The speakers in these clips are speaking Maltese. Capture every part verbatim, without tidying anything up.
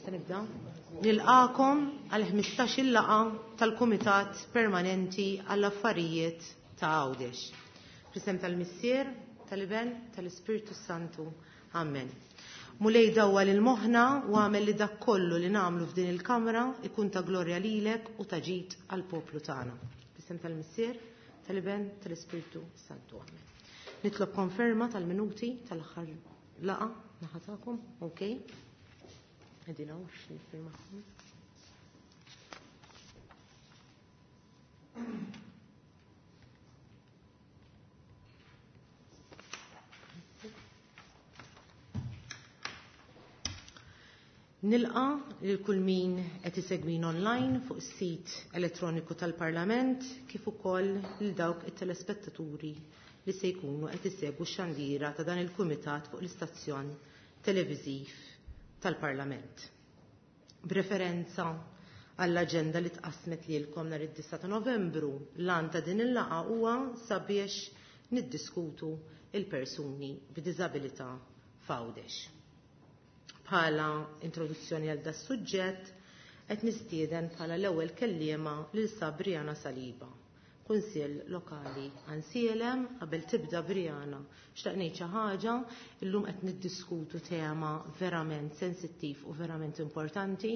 Nista' nibda? Nilqakom għal ħmistax-il laqgħa tal-Kumitat Permanenti għall-Affarijiet ta' Għawdex. Fl-isem tal-Missier, tal-Iben, tal-Ispirtu Santu. Amen. Mulej dawwal lil moħħna u għamel li dak kollu li nagħmlu f'din il-kamra ikun ta' glorja lilek u ta' ġid għall-poplu tagħna. Fl-isem tal-Missier, tal-Iben, tal-Ispirtu Santu. Amen. Nitlob konferma tal-minuti tal-aħħar laqgħa naħa tagħkom, okay? Qegħdin hawn biex niffirmakom. Nilqa lil kull min qed isegwin online fuq is-sit elettroniku tal-Parlament kif ukoll lil dawk it-telespettaturi li se jkunu qed isegwu x-xandira ta' dan il-kumitat fuq l-istazzjon televiżiv tal-Parlament. B'referenza għall-aġenda li tqassmet lilkom nhar id-disgħa ta' Novembru, l-għan ta' din il-laqgħa huwa sabiex niddiskutu il-persuni b'diżabilità f'Għawdex. Bħala introduzzjoni għal das suġġett qed nistieden bħala l-ewwel kelliema lil Sabriana Saliba, Kunsill Lokali Għajnsielem. Qabel tibda Briana, xtaqt ngħid xi ħaġa, illum qed niddiskutu tema verament sensittiv u verament importanti.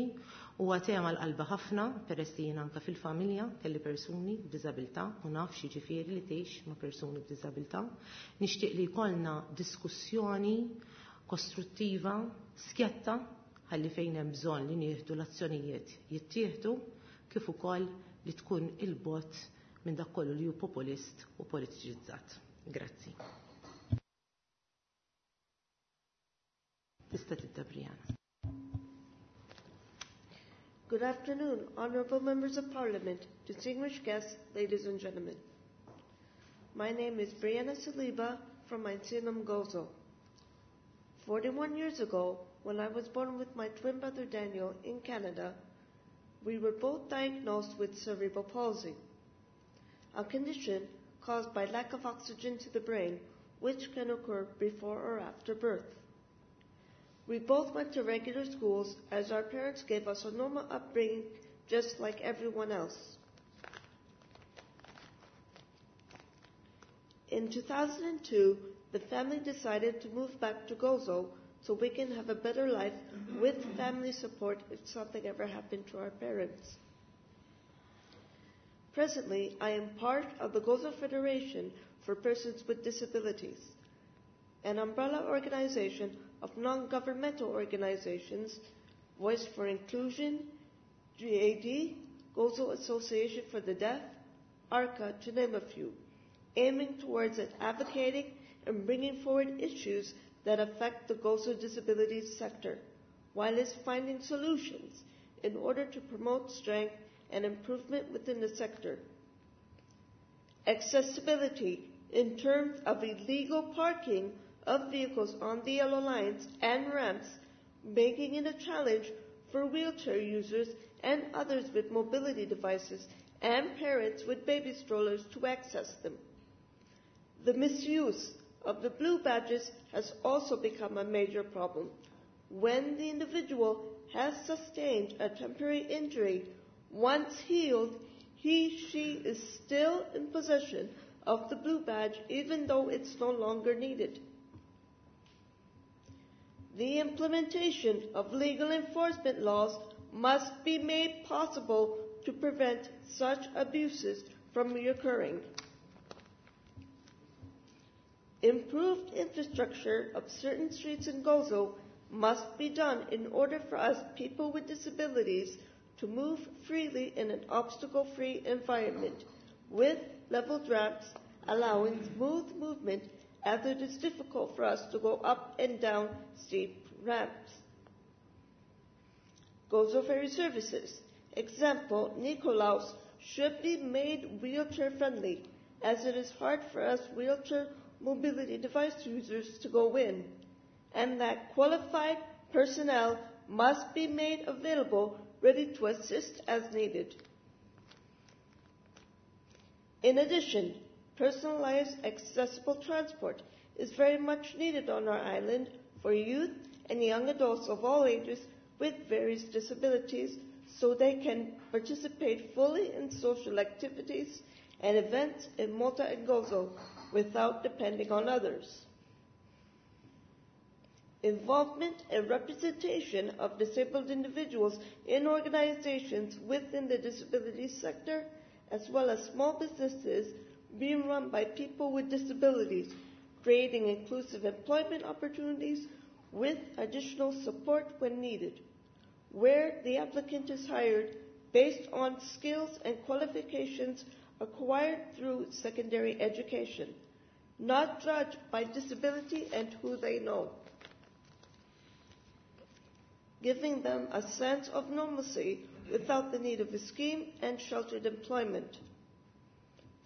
Huwa tema l-qalba ħafna, peress li jien anke fil-familja kelli persuni b'diżabilità u naf x'jiġifieri li tgħix ma' persuni b'diżabilità. Nixtieq li jkollna diskussjoni kostruttiva, skjetta, ħalli fejn hemm bżonn li nieħdu l-azzjonijiet jittieħdu, kif ukoll li tkun il-bot minn dak kollu li hu populist u politiċizzat. Grazzi. Tista' tibda Brianna. Good afternoon, honorable members of Parliament, distinguished guests, ladies and gentlemen. My name is Brianna Saliba from Għajnsielem, Gozo. forty-one years ago, when I was born with my twin brother Daniel in Canada, we were both diagnosed with cerebral palsy, a condition caused by lack of oxygen to the brain, which can occur before or after birth. We both went to regular schools as our parents gave us a normal upbringing just like everyone else. In two thousand two, the family decided to move back to Gozo so we can have a better life with family support if something ever happened to our parents. Presently, I am part of the Gozo Federation for Persons with Disabilities, an umbrella organization of non-governmental organizations, Voice for Inclusion, G A D, Gozo Association for the Deaf, ARCA, to name a few, aiming towards advocating and bringing forward issues that affect the Gozo disabilities sector, while it's finding solutions in order to promote strength and improvement within the sector. Accessibility in terms of illegal parking of vehicles on the yellow lines and ramps, making it a challenge for wheelchair users and others with mobility devices and parents with baby strollers to access them. The misuse of the blue badges has also become a major problem. When the individual has sustained a temporary injury, once healed, he, she is still in possession of the blue badge even though it's no longer needed. The implementation of legal enforcement laws must be made possible to prevent such abuses from reoccurring. Improved infrastructure of certain streets in Gozo must be done in order for us people with disabilities to move freely in an obstacle-free environment with leveled ramps allowing smooth movement, as it is difficult for us to go up and down steep ramps. Gozo Ferry Services, example, Nikolaus, should be made wheelchair-friendly, as it is hard for us wheelchair mobility device users to go in, and that qualified personnel must be made available, ready to assist as needed. In addition, personalized accessible transport is very much needed on our island for youth and young adults of all ages with various disabilities so they can participate fully in social activities and events in Malta and Gozo without depending on others. Involvement and representation of disabled individuals in organizations within the disability sector, as well as small businesses being run by people with disabilities, creating inclusive employment opportunities with additional support when needed, where the applicant is hired based on skills and qualifications acquired through secondary education, not judged by disability and who they know, giving them a sense of normalcy without the need of a scheme and sheltered employment.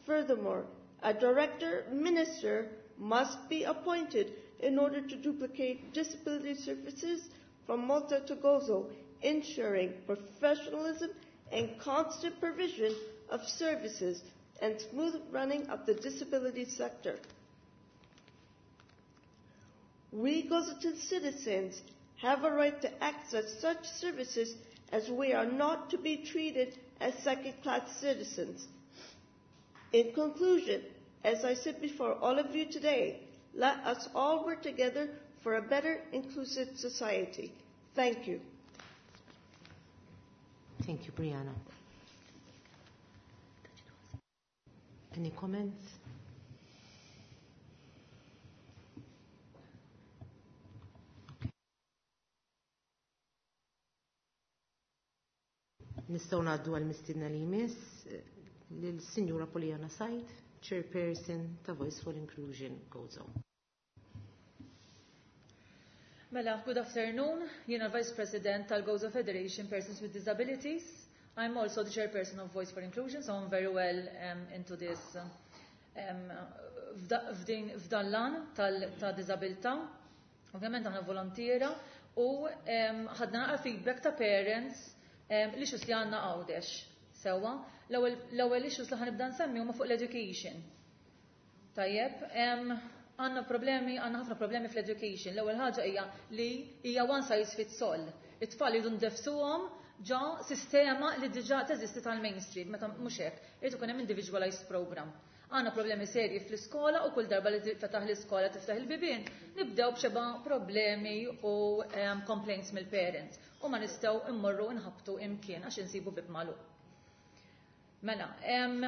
Furthermore, a director minister must be appointed in order to duplicate disability services from Malta to Gozo, ensuring professionalism and constant provision of services and smooth running of the disability sector. We Gozitan citizens have a right to access such services, as we are not to be treated as second-class citizens. In conclusion, as I said before all of you today, let us all work together for a better, inclusive society. Thank you. Thank you, Brianna. Any comments? Nistgħu ngħaddu għall-mistiedna li jmiss, lill-Sinjura Poliana Said, Chairperson ta' Voice for Inclusion Gozo. Mela, good afternoon. Jiena Vice President tal-Gozo Federation Persons with Disabilities. I'm also the chairperson of Voice for Inclusion, so I'm very well um, into this um, f'dan l-għan ta' disabilità. Ovvjament aħna volontiera u ħadna naqra feedback ta' parents l-issues li għandna Għawdex. Sewwa, l-ewwel issues li ħanibda nsemmi huma fuq l-education. Tajjeb, għandna problemi, għandna ħafna problemi fl-education. L-ewwel ħaġa hija li hija one size fits all. It-tfal jridu ndefsuhom ġo sistema li diġà teżisti tal-mainstream, meta mhux hekk, irid ikun hemm individualized program. Għandna problemi serji fl-iskola u kull darba li tiftaħ l-iskola, tiftaħ il-bibien, nibdew b'xeba problemi u um, complaints mill-parents. U ma nistgħu immorru nħabtu imkien għax insibu bib magħluq. Mela, um,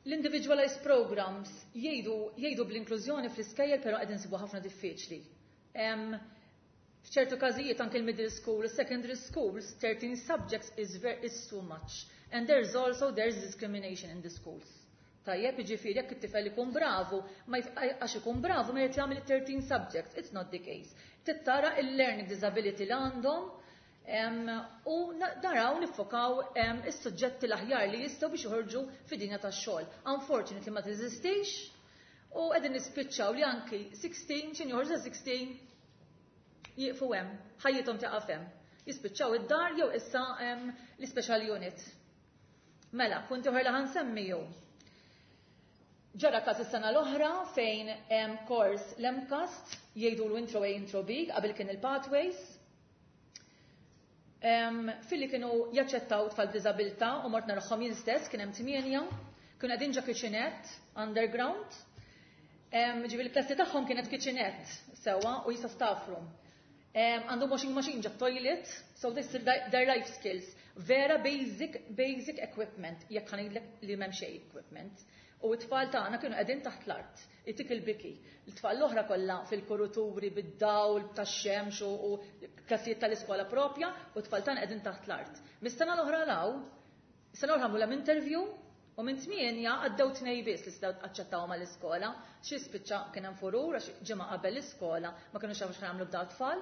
l-individualized programs jgħidu jgħidu bl-inklużjoni fl-iskejjel, però qegħdin insibu ħafna diffiċli. Um, F'ċertu każijiet anke l-middle school, secondary schools, thirteen subjects is, very, is too much. And there's also there's discrimination in the schools. Tajjeb, jiġifieri jekk it-tifel ikun bravu, ma għax ikun bravu ma jrid jagħmel thirteen subjects. It's not the case. Tittara il-learning disability li għandhom u naraw niffokaw is-suġġetti l-aħjar li jistgħu biex joħorġu fid-dinja tax-xogħol. Unfortunately ma teżistix u qegħdin nispiċċaw li anki sixteen, x'inhi joħorġu sixteen jieqfu hemm, ħajjithom tieqaf hemm. Jispiċċaw id-dar jew issa l-special unit. Mela, punt oħra li ħansemmi jew. Ġara każ is-sena l-oħra fejn hemm kors l-MCAST jgħidu l-intro A, intro B, qabel kien il-pathways. Filli kienu jaċċettaw tfal b'diżabilità u mort narahom jien stess, kien hemm tmienja, kienu qegħdin ġo kitchenette underground. Ġifieri l-klassi tagħhom kienet kitchenette sewwa u jisa staff room. Għandhom washing machine ġo toilet, so this is their life skills. Vera basic, basic equipment, jekk ħanidlek li m'hemm xejn equipment. U t-tfal tagħna kienu qegħdin taħt l-art, itik il-biki. It-tfal l-oħra kollha fil-kuruturi bid-dawl tax-xemx u klassijiet tal-iskola propja, u t-tfal tagħna qegħdin taħt l-art. Mis-sena l-oħra law, sena l-oħra għamlu interview, u minn tmienja għaddew tnej biss li stgħu aċċettawhom mal-iskola, xi spiċċa kien hemm furur għax ġimgħa qabel l-iskola ma kinux jafu x'għamlu b'daw tfal,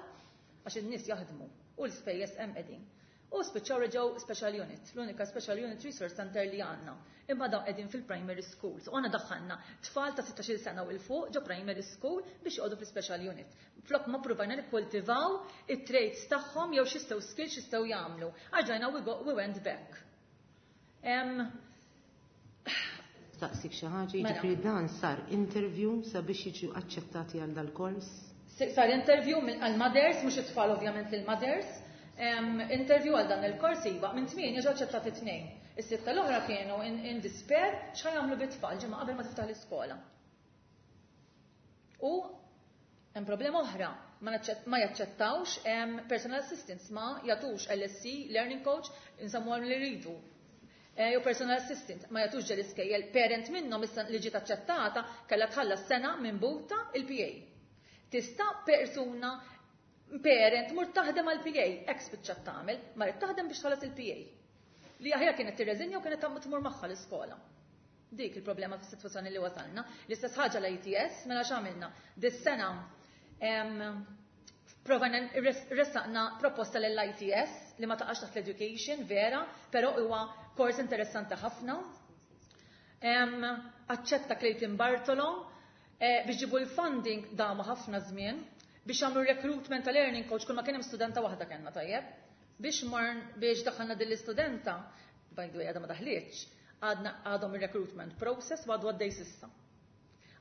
għax in-nies jaħdmu u l-ispejjeż hemm qegħdin. U spiċċaw reġgħu special unit, l-unika special unit resource center li għandna. Imma dawn qegħdin fil-primary schools. U għandna daħħalna tfal ta' sittax-il sena u 'l fuq ġo primary school biex joqogħdu fil-special unit. Flok ma provajna nikkultivaw it-traits tagħhom jew x'jistgħu skills x'jistgħu jagħmlu. Għarġajna we, go, we went back. Um, Staqsik xi ħaġa, Mela. Jiġifieri dan sar interview sabiex jiġu aċċettati għal dal-kors? Sar interview għal-mothers, mhux it-tfal ovvjament lil-mothers, interview għal dan il-kors iva, minn tmienja ġew aċċettati tnejn. Is-sitta l-oħra kienu in despair x'ħa jagħmlu bit-tfal ġimgħa qabel ma tiftaħ l-iskola. U hemm problema oħra, ma jaċċettawx personal assistants, ma jagħtux L S C, learning coach, insemmuhom li rridu. Eh, jew personal assistant, ma jagħtux ġel iskejjel, parent minnhom issa li ġiet aċċettata kellha tħallas sena minn buta il-P A. Tista' persuna parent mur taħdem għal P A, ex spiċċat tagħmel, marret taħdem biex tħallas il-P A. Li aħjar kienet tirreżinja u kienet tmur magħha l-iskola. Dik il-problema fis-sitwazzjoni li wasalna. L-istess ħaġa l-I T S, mela x'għamilna? Dis-sena provajna ressaqna proposta l-I T S li ma taqax taħt l-education, vera, però huwa kors interessanti ħafna. Aċċetta Clayton Bartolo eh, biex ġibu l-funding damu ħafna żmien biex għamlu recruitment ta' learning coach, kull ma kien hemm studenta waħda kellna, tajjeb. Biex marn biex daħħalna din l-istudenta, by the way għadha ma daħlietx, għadna għadhom il-recruitment process u għadu għaddej s'issa.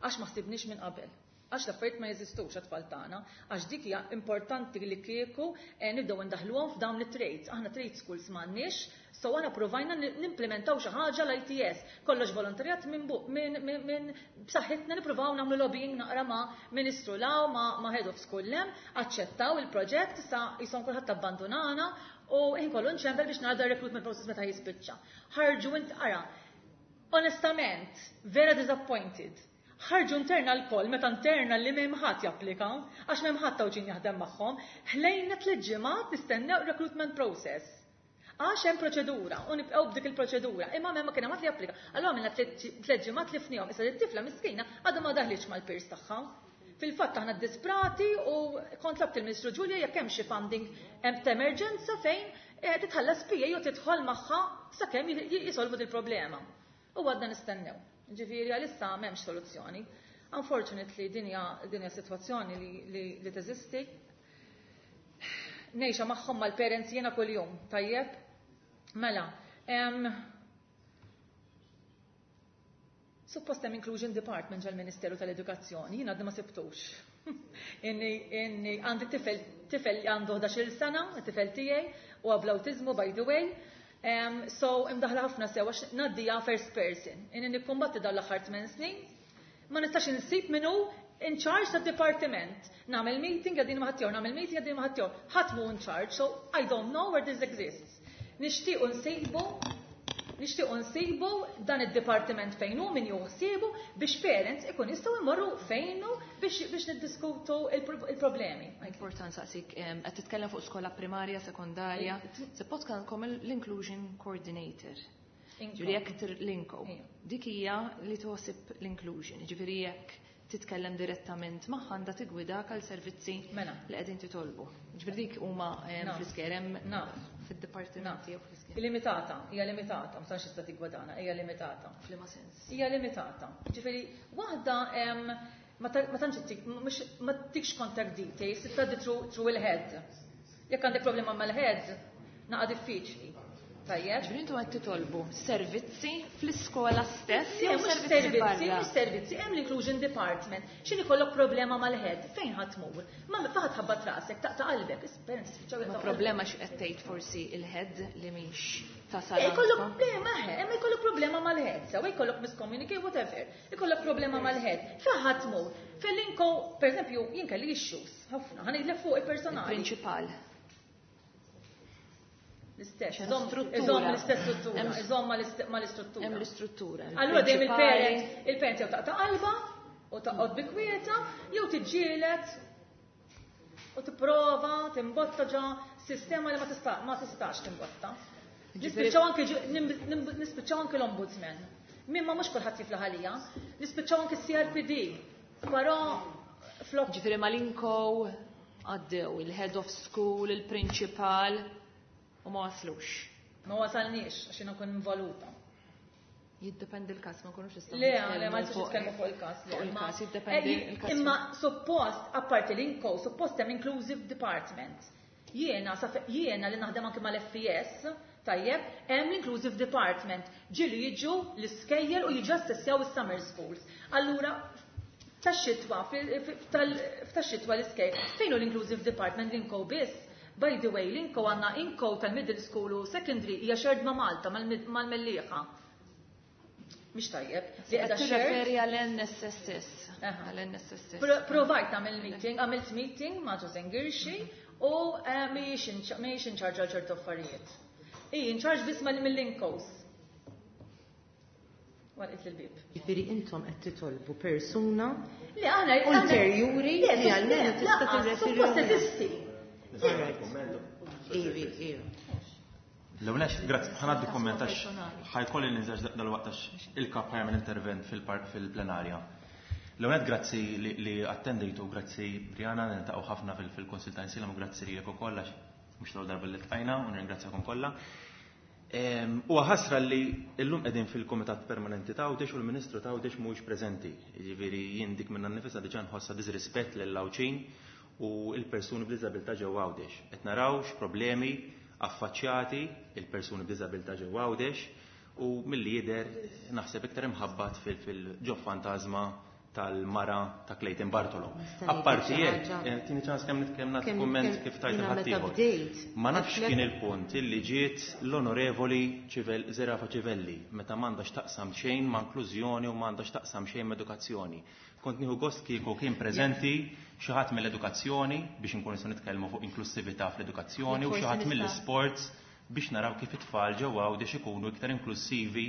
Għax ma ħsibniex minn qabel. Għax l-affarijiet ma jeżistux għat-tfal tagħna, għax dik hija importanti li kieku eh, nibdew indaħluhom f'dawn it-trades. Aħna trade schools m'għandniex, so aħna provajna nimplementaw xi ħaġa l-I T S. Kollox volontarjat minn min, min, min b'saħħitna nippruvaw nagħmlu lobbying naqra ma' Ministru law, ma', ma head of school lem, aċċettaw il-proġett, issa jisom kulħadd abbandonana u inkollu nċempel biex nara recruitment process meta jispiċċa. Ħarġu int ara, onestament, vera disappointed. Ħarġu internal call meta internal li m'hemm ħadd japplika, għax m'hemm ħadd tawġin jaħdem magħhom, ħlejna tliet ġimgħat nistennew recruitment process. Għax hemm proċedura u nibqgħu b'dik il-proċedura, imma m'hemm ma kien hemm ħadd li japplika. Allura għamilna tliet ġimgħat li fnihom, issa it-tifla miskina għadha ma daħlitx mal-peers tagħha. Fil-fatt aħna disprati u kont tlabt il-Ministru Ġulja jekk hemm xi funding hemm ta' emerġenza fejn eh, titħallas P A u tidħol magħha sakemm jisolvu il-problema. U għadna nistennew. Ġifieri għalissa m'hemmx soluzzjoni. Unfortunately, dinja dinja sitwazzjoni li, li, li teżisti. Ngħixha magħhom mal-parents jiena kuljum, tajjeb? Mela, em, suppost hemm Inclusion Department ġal-Ministeru tal-Edukazzjoni, jiena għadni ma sibtux. Inni, inni għandi tifel, tifel li għandu ħdax-il sena, tifel tiegħi, u bl-awtiżmu, by the way. Um, so imdaħla ħafna sew għax ngħaddija first person. Inni nikkombatti dan l-aħħar tmien snin. Ma nistax insib minnu in charge ta' departiment. Nagħmel meeting għadin ma ħadd, nagħmel meeting għadin ma ħadd. Ħadd mhu in charge, so I don't know where this exists. Nixtiequ nsibu nixtiequ nsibu dan id-dipartiment fejn hu, min juħsibu, biex parents ikun jistgħu jmorru fejnu biex biex niddiskutu il-problemi. Important saqsik, qed titkellem fuq skola primarja, sekondarja, suppost kellkom l-inclusion coordinator. Ġifieri jekk l-INCO. Dik hija li toħsib l-inclusion. Ġifieri jekk titkellem direttament magħha għandha tigwidak għal servizzi Mela. li qegħdin titolbu. Ġifieri dik huma fl-iskejjel hemm fid-dipartimenti jew fl-iskejjel. Limitata, hija limitata, ma tantx tista' tigwadana, hija limitata. F'liema sens? Hija limitata. Ġifieri waħda ma tantx mhux ma tikx contact details, tgħaddi through il-head. Jekk għandek problema mal-head, naqa' diffiċli. Tajjeb. Ġifieri intom qed titolbu servizzi fl-iskola stess jew servizzi, mhux servizzi, hemm l-inclusion department. X'inhi kollok problema mal-head, fejn ħadd tmur? Ma faħat ħabbat rasek, taqta' qalbek, parents spiċċaw. Ma problema x'qed tgħid forsi il-head li mhix tasal. Ikollok problema, hemm ikollok problema mal-head, sew ikollok miscommunicate, whatever. Ikollok problema mal-head. Fejn ħadd tmur? Fil-INCO, per eżempju, jien kelli issues ħafna, ħa ngħidlek fuq il-personali. Il-prinċipal. L-istess, iżomm l-istess struttura, iżomm mal-istruttura. Hemm l-istruttura. Allura dejjem il-parent, il-parent jew taqta' qalba u taqgħod bi kwieta jew tiġġieled u tipprova timbotta ġa sistema li ma tista' ma tistax timbotta. Nispiċċaw anke nispiċċaw anke l-ombudsman. Mimma mhux kulħadd jiflaħ għalija, nispiċċaw anke C R P D. Però flok. Ġifieri mal-INCO għaddew il-head of school, il-principal, u ma waslux. Ma wasalniex, għax jiena nkun involuta. Jiddependi l-kas, ma nkunux nistgħu. Le, le, ma nistax nitkellmu fuq il-kas. Fuq il-kas, jiddependi il-kas. Imma suppost, apparti l-INCO, suppost hemm inclusive department. Jiena, jiena li naħdem anke mal-F E S, tajjeb, hemm l-inclusive department. Ġieli jiġu l-iskejjel u jiġu assessjaw is-summer schools. Allura, Tax-xitwa, tax-xitwa l-iskejjel. Fejn hu l-inclusive department l-INCO biss? By the way, l-INCO għandna INCO tal-middle school u secondary hija shared ma' Malta, mal-Mellieħa. Mhix tajjeb. Li qiegħda tirreferi għall-N S S S. Għall-N S S S. Provajt nagħmel meeting, għamilt meeting ma' Josephine Ghirxi u eh, mhijiex in charge għal ċertu affarijiet. Hi in charge biss mill-INCOs. Għalqet il-bib. Ġifieri intom qed titolbu persuna Li aħna ulterjuri li għalmenu tista' tirreferi. Suppost teżisti. Ivi, ivi. L-ewwel, grazzi, ħa ngħaddi kumment għax ħa jkolli ninżel dal-waqt għax il-kap ħa jagħmel intervent fil-plenarja. L-ewwel, grazzi li attendejtu, grazzi Brianna, niltaqgħu ħafna fil-Kunsil ta' Għajnsielem u grazzi lilek ukoll għax mhux l darba li ltqajna u nirringrazzjakom kollha. Huwa ħasra li llum qegħdin fil-Kumitat Permanenti ta' Għawdex u l-Ministru ta' Għawdex mhuwiex preżenti. Jiġifieri jien dik minnha nnifisha diġà nħossha disrispett lill-Għawdxin u l-persuni b'diżabilità ġewwa Għawdex. Qed naraw x'problemi affaċċjati il-persuni b'diżabilità ġewwa Għawdex u milli jidher naħseb iktar imħabbat fil-ġo fantażma tal-mara ta' Clayton Bartolo. Apparti hekk, eh, tini ċans kemm nitkellem nagħti kumment kif tajt ħaddieħor. Ma nafx kien il-punt illi ġiet l-onorevoli Zerafa Civelli meta m'għandax taqsam xejn ma' inklużjoni u m'għandax taqsam xejn ma' edukazzjoni. Kont nieħu gost kieku kien preżenti xi ħadd mill-edukazzjoni biex inkunu nistgħu nitkellmu fuq inklusività fl-edukazzjoni u xi ħadd mill-isports biex naraw kif it-tfal ġewwa Għawdex ikunu iktar inklusivi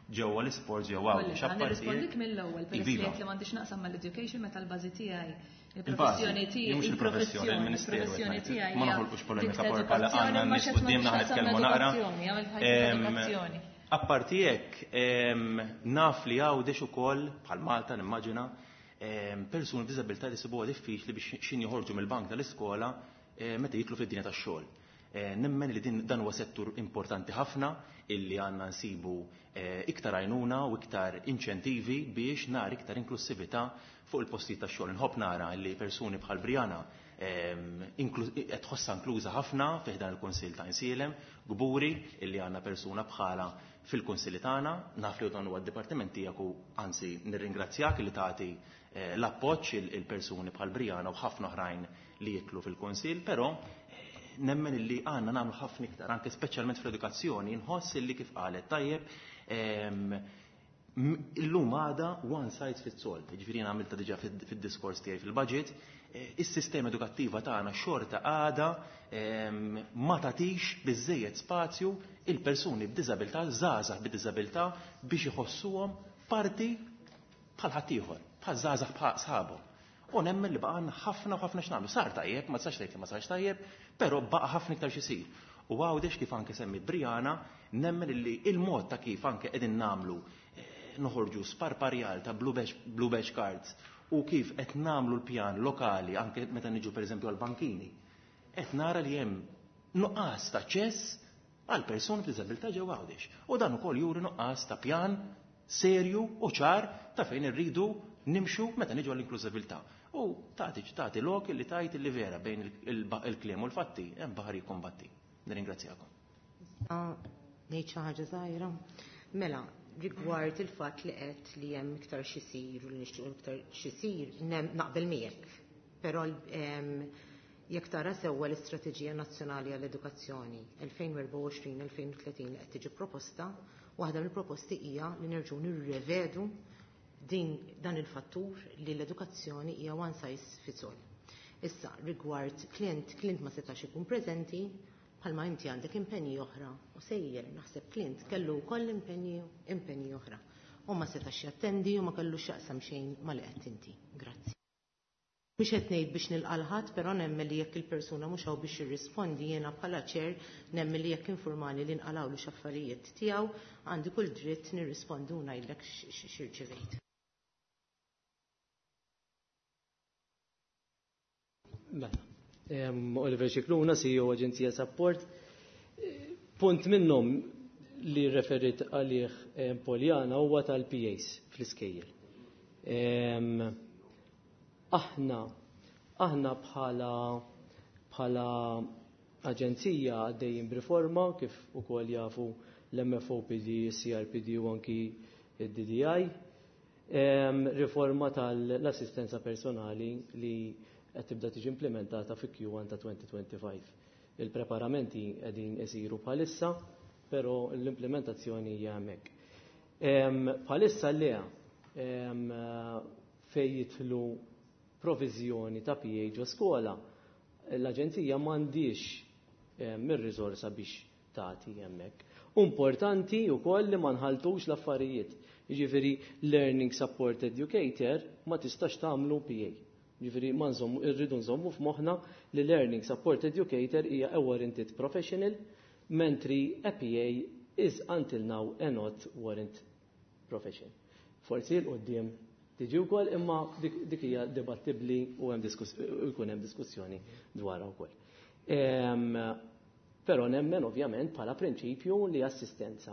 ġewwa l-isports ġewwa Għawdex. Ħa nirrispondik mill-ewwel peress li li m'għandix naqsam mal-education meta l-bażi tiegħi il-professjoni tiegħi il-professjoni il-professjoni tiegħi. Ma noħolqux polemika bħala għandna nies quddiemna, ħa nitkellmu naqra. Apparti hekk, naf li Għawdex ukoll bħal Malta nimmaġina persuni b'diżabilità li sibuha diffiċli biex xin joħorġu mill-bank tal-iskola meta jidħlu fid-dinja tax-xogħol. Nemmen li din dan huwa settur importanti ħafna illi għandna nsibu iktar għajnuna u iktar inċentivi biex nara iktar inklusività fuq il-postijiet tax-xogħol. Nħobb nara li persuni bħal Brianna qed tħossha inkluża ħafna fih dan il-Kunsill ta' Għajnsielem, kburi illi għandna persuna bħala fil-kunsilli tagħna, naf li dan huwa d-dipartiment tiegħek u anzi nirringrazzjak li tagħti l-appoġġ il-persuni bħal Brianna u ħafna oħrajn li jidħlu fil-kunsill, però nemmen illi għandna nagħmlu ħafna iktar, anke speċjalment fl-edukazzjoni, nħoss illi kif qalet tajjeb illum għada one size fits all. Ġifieri għamilta diġà fid-diskors tiegħi fil-budget, is-sistema edukattiva tagħna xorta għada ma tagħtix biżejjed spazju il-persuni b'diżabilità, żgħażagħ b'diżabilità biex iħossuhom parti bħal ħaddieħor, bħal żgħażagħ bħal sħabhom. U nemmen li baqgħna ħafna u ħafna x'nagħmlu. Sar tajjeb, ma tistax tgħid li ma sarx tajjeb, però baqa' ħafna iktar x'isir. U Għawdex kif anke semmi Brianna, nemmen li il-mod ta' kif anke qegħdin nagħmlu noħorġu sparparjal ta' blue badge, blue badge cards u kif qed nagħmlu l-pjan lokali anke meta niġu pereżempju għall-bankini. Qed nara li hemm nuqqas ta' aċċess għal persuni b'diżabilità ġewwa Għawdex. U dan ukoll juri nuqqas ta' pjan serju u ċar ta' fejn irridu nimxu meta niġu għall-inklużibilità. U tagħti tagħti lok li tajt li vera bejn il-kliem u l-fatti hemm baħar jikkombatti. Nirringrazzjakom. Ngħid xi ħaġa żgħira. Mela, rigward il-fatt li qed li hemm iktar xisir u li nixtiequ iktar xisir, naqbel miegħek. Però jekk tara sewwa l-Istrateġija Nazzjonali għall-Edukazzjoni elfejn u erbgħa u għoxrin elfejn u tletin li qed tiġi proposta, waħda mill-proposti hija li nerġgħu nirrevedu din dan il-fattur li l-edukazzjoni hija one size fits all. Issa, rigward Clint, Clint ma setax ikun preżenti, bħalma inti għandek impenji oħra u sejjer naħseb Clint kellu wkoll impenji impenji oħra. U ma setax jattendi u ma kellu x'jaqsam xejn ma li qed inti. Grazzi. Mhux qed ngħid biex nilqa' però nemmen li jekk il-persuna mhux hawn biex jirrispondi, jiena bħala chair nemmen li jekk informani li nqalgħulu x'affarijiet tiegħu għandi kull dritt nirrispondi u ngħidlek x'irċivejt. Mela, Oliver Scicluna, C E O Aġenzija Sapport. Punt minnhom li referit għalih Poljana huwa tal-P As fl-iskejjel. Aħna aħna bħala bħala aġenzija għaddejjin b'riforma kif ukoll jafu l-M F O P D, C R P D u anki d D D I. Riforma tal-assistenza personali li qed tibda tiġi implementata fi Q one ta' twenty twenty-five. Il-preparamenti qegħdin isiru bħalissa, però l-implementazzjoni hija hemmhekk. Bħalissa le fejn jidħlu proviżjoni ta' P A ġo skola, l-aġenzija m'għandix mir-riżorsa biex tagħti hemmhekk. Importanti wkoll li ma nħaltux l-affarijiet. Jiġifieri Learning Support Educator ma tistax tagħmlu P A. Jiġifieri ma nżommu, irridu nżommu f'moħħna li Learning Support Educator hija a warranted professional, mentri a P A is until now a not warrant profession. Forsi 'l quddiem tiġi wkoll, imma dik hija dibattibbli u hemm jkun hemm diskussjoni dwarha wkoll. Però nemmen ovvjament bħala prinċipju li assistenza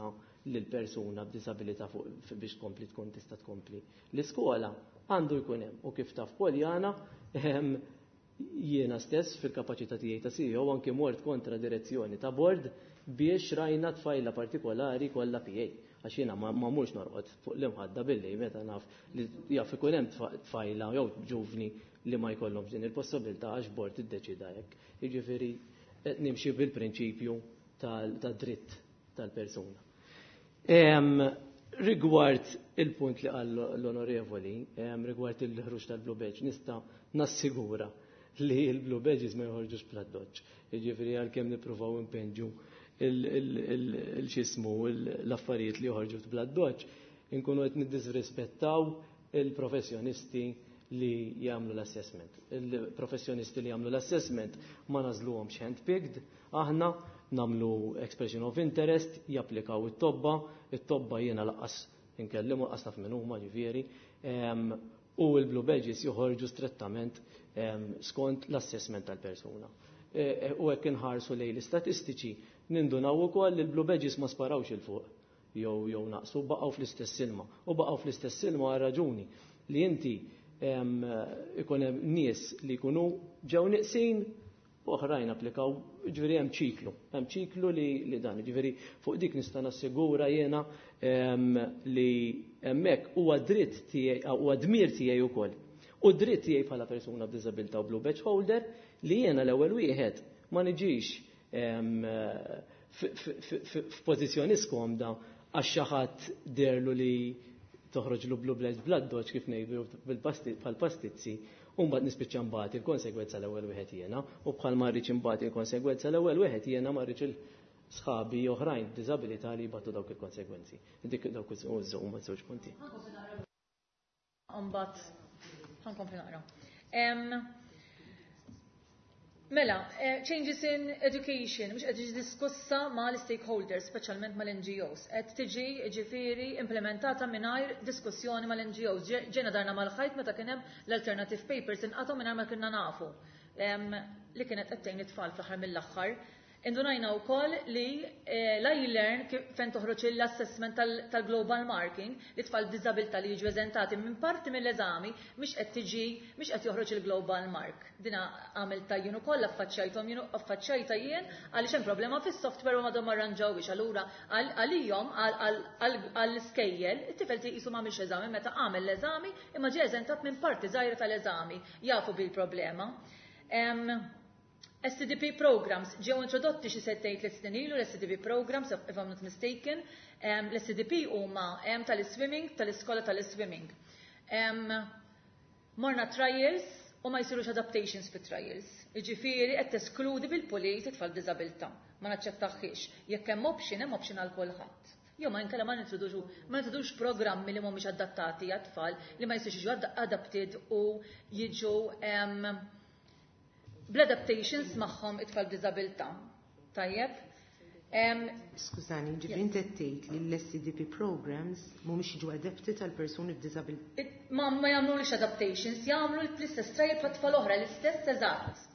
lil persuna b'disabilità biex tkompli tkun tista' tkompli l-iskola għandu jkun hemm. U kif taf Poljana, jiena stess fil-kapaċità tiegħi ta' C E O anke mort kontra direzzjoni ta' board biex rajna tfajla partikolari kollha P A. Għax jiena ma mhux norqod fuq l-imħadda billi meta naf li jaf ikun hemm tfajla jew ġuvni li ma jkollhomx din il-possibilità għax board iddeċida hekk. Jiġifieri nimxi bil-prinċipju tad-dritt tal-persuna. Rigward il-punt li qal l-onorevoli, rigward il-ħruġ tal-Blue Badge, nista' nassigura li il-Blue Badges ma joħorġux bl-addoċċ. Jiġifieri għalkemm nippruvaw impenġu il-xismu l-affarijiet li joħorġu bl-addoċċ, inkunu qed niddisrispettaw il-professjonisti li jagħmlu l-assessment. Il-professjonisti li jagħmlu l-assessment ma nagħżluhomx handpicked, aħna nagħmlu expression of interest, japplikaw it-tobba, it-tobba jiena lanqas inkellimu, lanqas naf min huma ġifieri, u l-Blue Badges joħorġu strettament skont l-assessment tal-persuna. E, e, u hekk inħarsu lejn l-istatistiċi nindunaw ukoll li l-Blue Badges ma sparawx 'il fuq jew jew naqsu, baqgħu fl-istess ilma. U baqgħu fl-istess ilma għal raġuni li inti ikun hemm nies li jkunu ġew neqsin u oħrajn applikaw, ġifieri hemm ċiklu, hemm ċiklu li, li dan, ġifieri fuq dik nista' nassigura jiena li hemmhekk huwa dritt tiegħi, huwa dmir tiegħi wkoll. U dritt tiegħi bħala persuna b'diżabilità u blue badge holder li jiena l-ewwel wieħed ma niġix f'pożizzjoni skomda għax xi ħadd deherlu li toħroġ lu blue badge bl-addoċċ, kif ngħidu, bħal-pastizzi, u mbagħad nispiċċa mbagħad il-konsegwenza l-ewwel wieħed jiena, u bħal ma rridx imbagħad il-konsegwenza l-ewwel wieħed jiena, ma rridx il-sħabi oħrajn b'diżabilità li jbatu dawk il-konsegwenzi. Dik dawk huma żewġ punti. Mbagħad ħa nkompli naqra. Mela, eh, changes in education, mhux qed tiġi diskussa ma' l-stakeholders, speċjalment mal-N G Os. Qed tiġi, ġifieri, implementata mingħajr diskussjoni mal-N G Os. Ġejna darna mal-ħajt meta kien hemm l-alternative papers inqatgħu mingħajr ma kienna nafu li kienet qed tgħin it-tfal fl-aħħar mill-aħħar. Indunajna wkoll li eh, l-iLearn fejn toħroġ l-assessment tal-global marking li tfal b'diżabilità li jiġu eżentati minn parti mill-eżami, mhix qed tiġi, mhix qed joħroġ il-global mark. Dina għamilta jien ukoll, affaċċajthom jien, affaċċajta jien, għaliex hemm problema fis-software u m'għadhom arranġawhiex. Allura għalihom, għall-iskejjel, it-tifel qisu m'għamilx eżami meta għamel l-eżami imma ġie eżentat minn parti żgħira tal-eżami. Jafu bil-problema. S T D P programs ġew introdotti xi sentejn, tliet snin ilu l-S T D P programs, if I'm not mistaken. L-S T D P huma tal-swimming, tal-iskola tal-swimming. Morna trials u ma jsirux adaptations fit trials. Jiġifieri qed teskludi bil-pulit it-tfal b'diżabilità. Ma naċċettaħiex. Jekk hemm option, hemm option għal kulħadd. Jew ma inkella ma nintroduċu ma nintroduċux programmi li mhumiex adattati għat-tfal, li ma jistgħux jiġu adapted u jiġu bl-adaptations magħhom it-tfal b'diżabilità. Tajjeb? Skużani, ġifieri inti tgħid li l-S C D P programs mhumiex jiġu adapted għal persuni b'diżabilità. Ma ma jagħmlux adaptations, jagħmlu l-istess trial bħal tfal oħra, l-istess eżatt.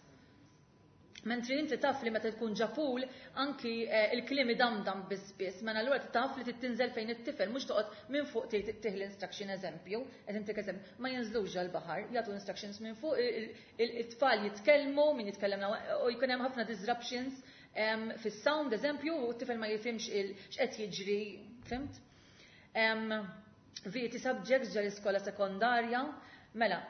Mentri inti taf li meta tkun ġo pool anki eh, il-kliem damdam biss biss, mela allura taf li tinżel fejn it-tifel, mhux toqgħod minn fuq tih l-instruction, eżempju, qed intik eżempju, ma jinżlux ġol-baħar, jagħtu instructions minn fuq, it-tfal jitkellmu, min jitkellem u jkun hemm ħafna disruptions fis-sound, eżempju, u t-tifel ma jifhimx x'qed jiġri, fhimt? V E T subjects ġo l-iskola sekondarja, mela,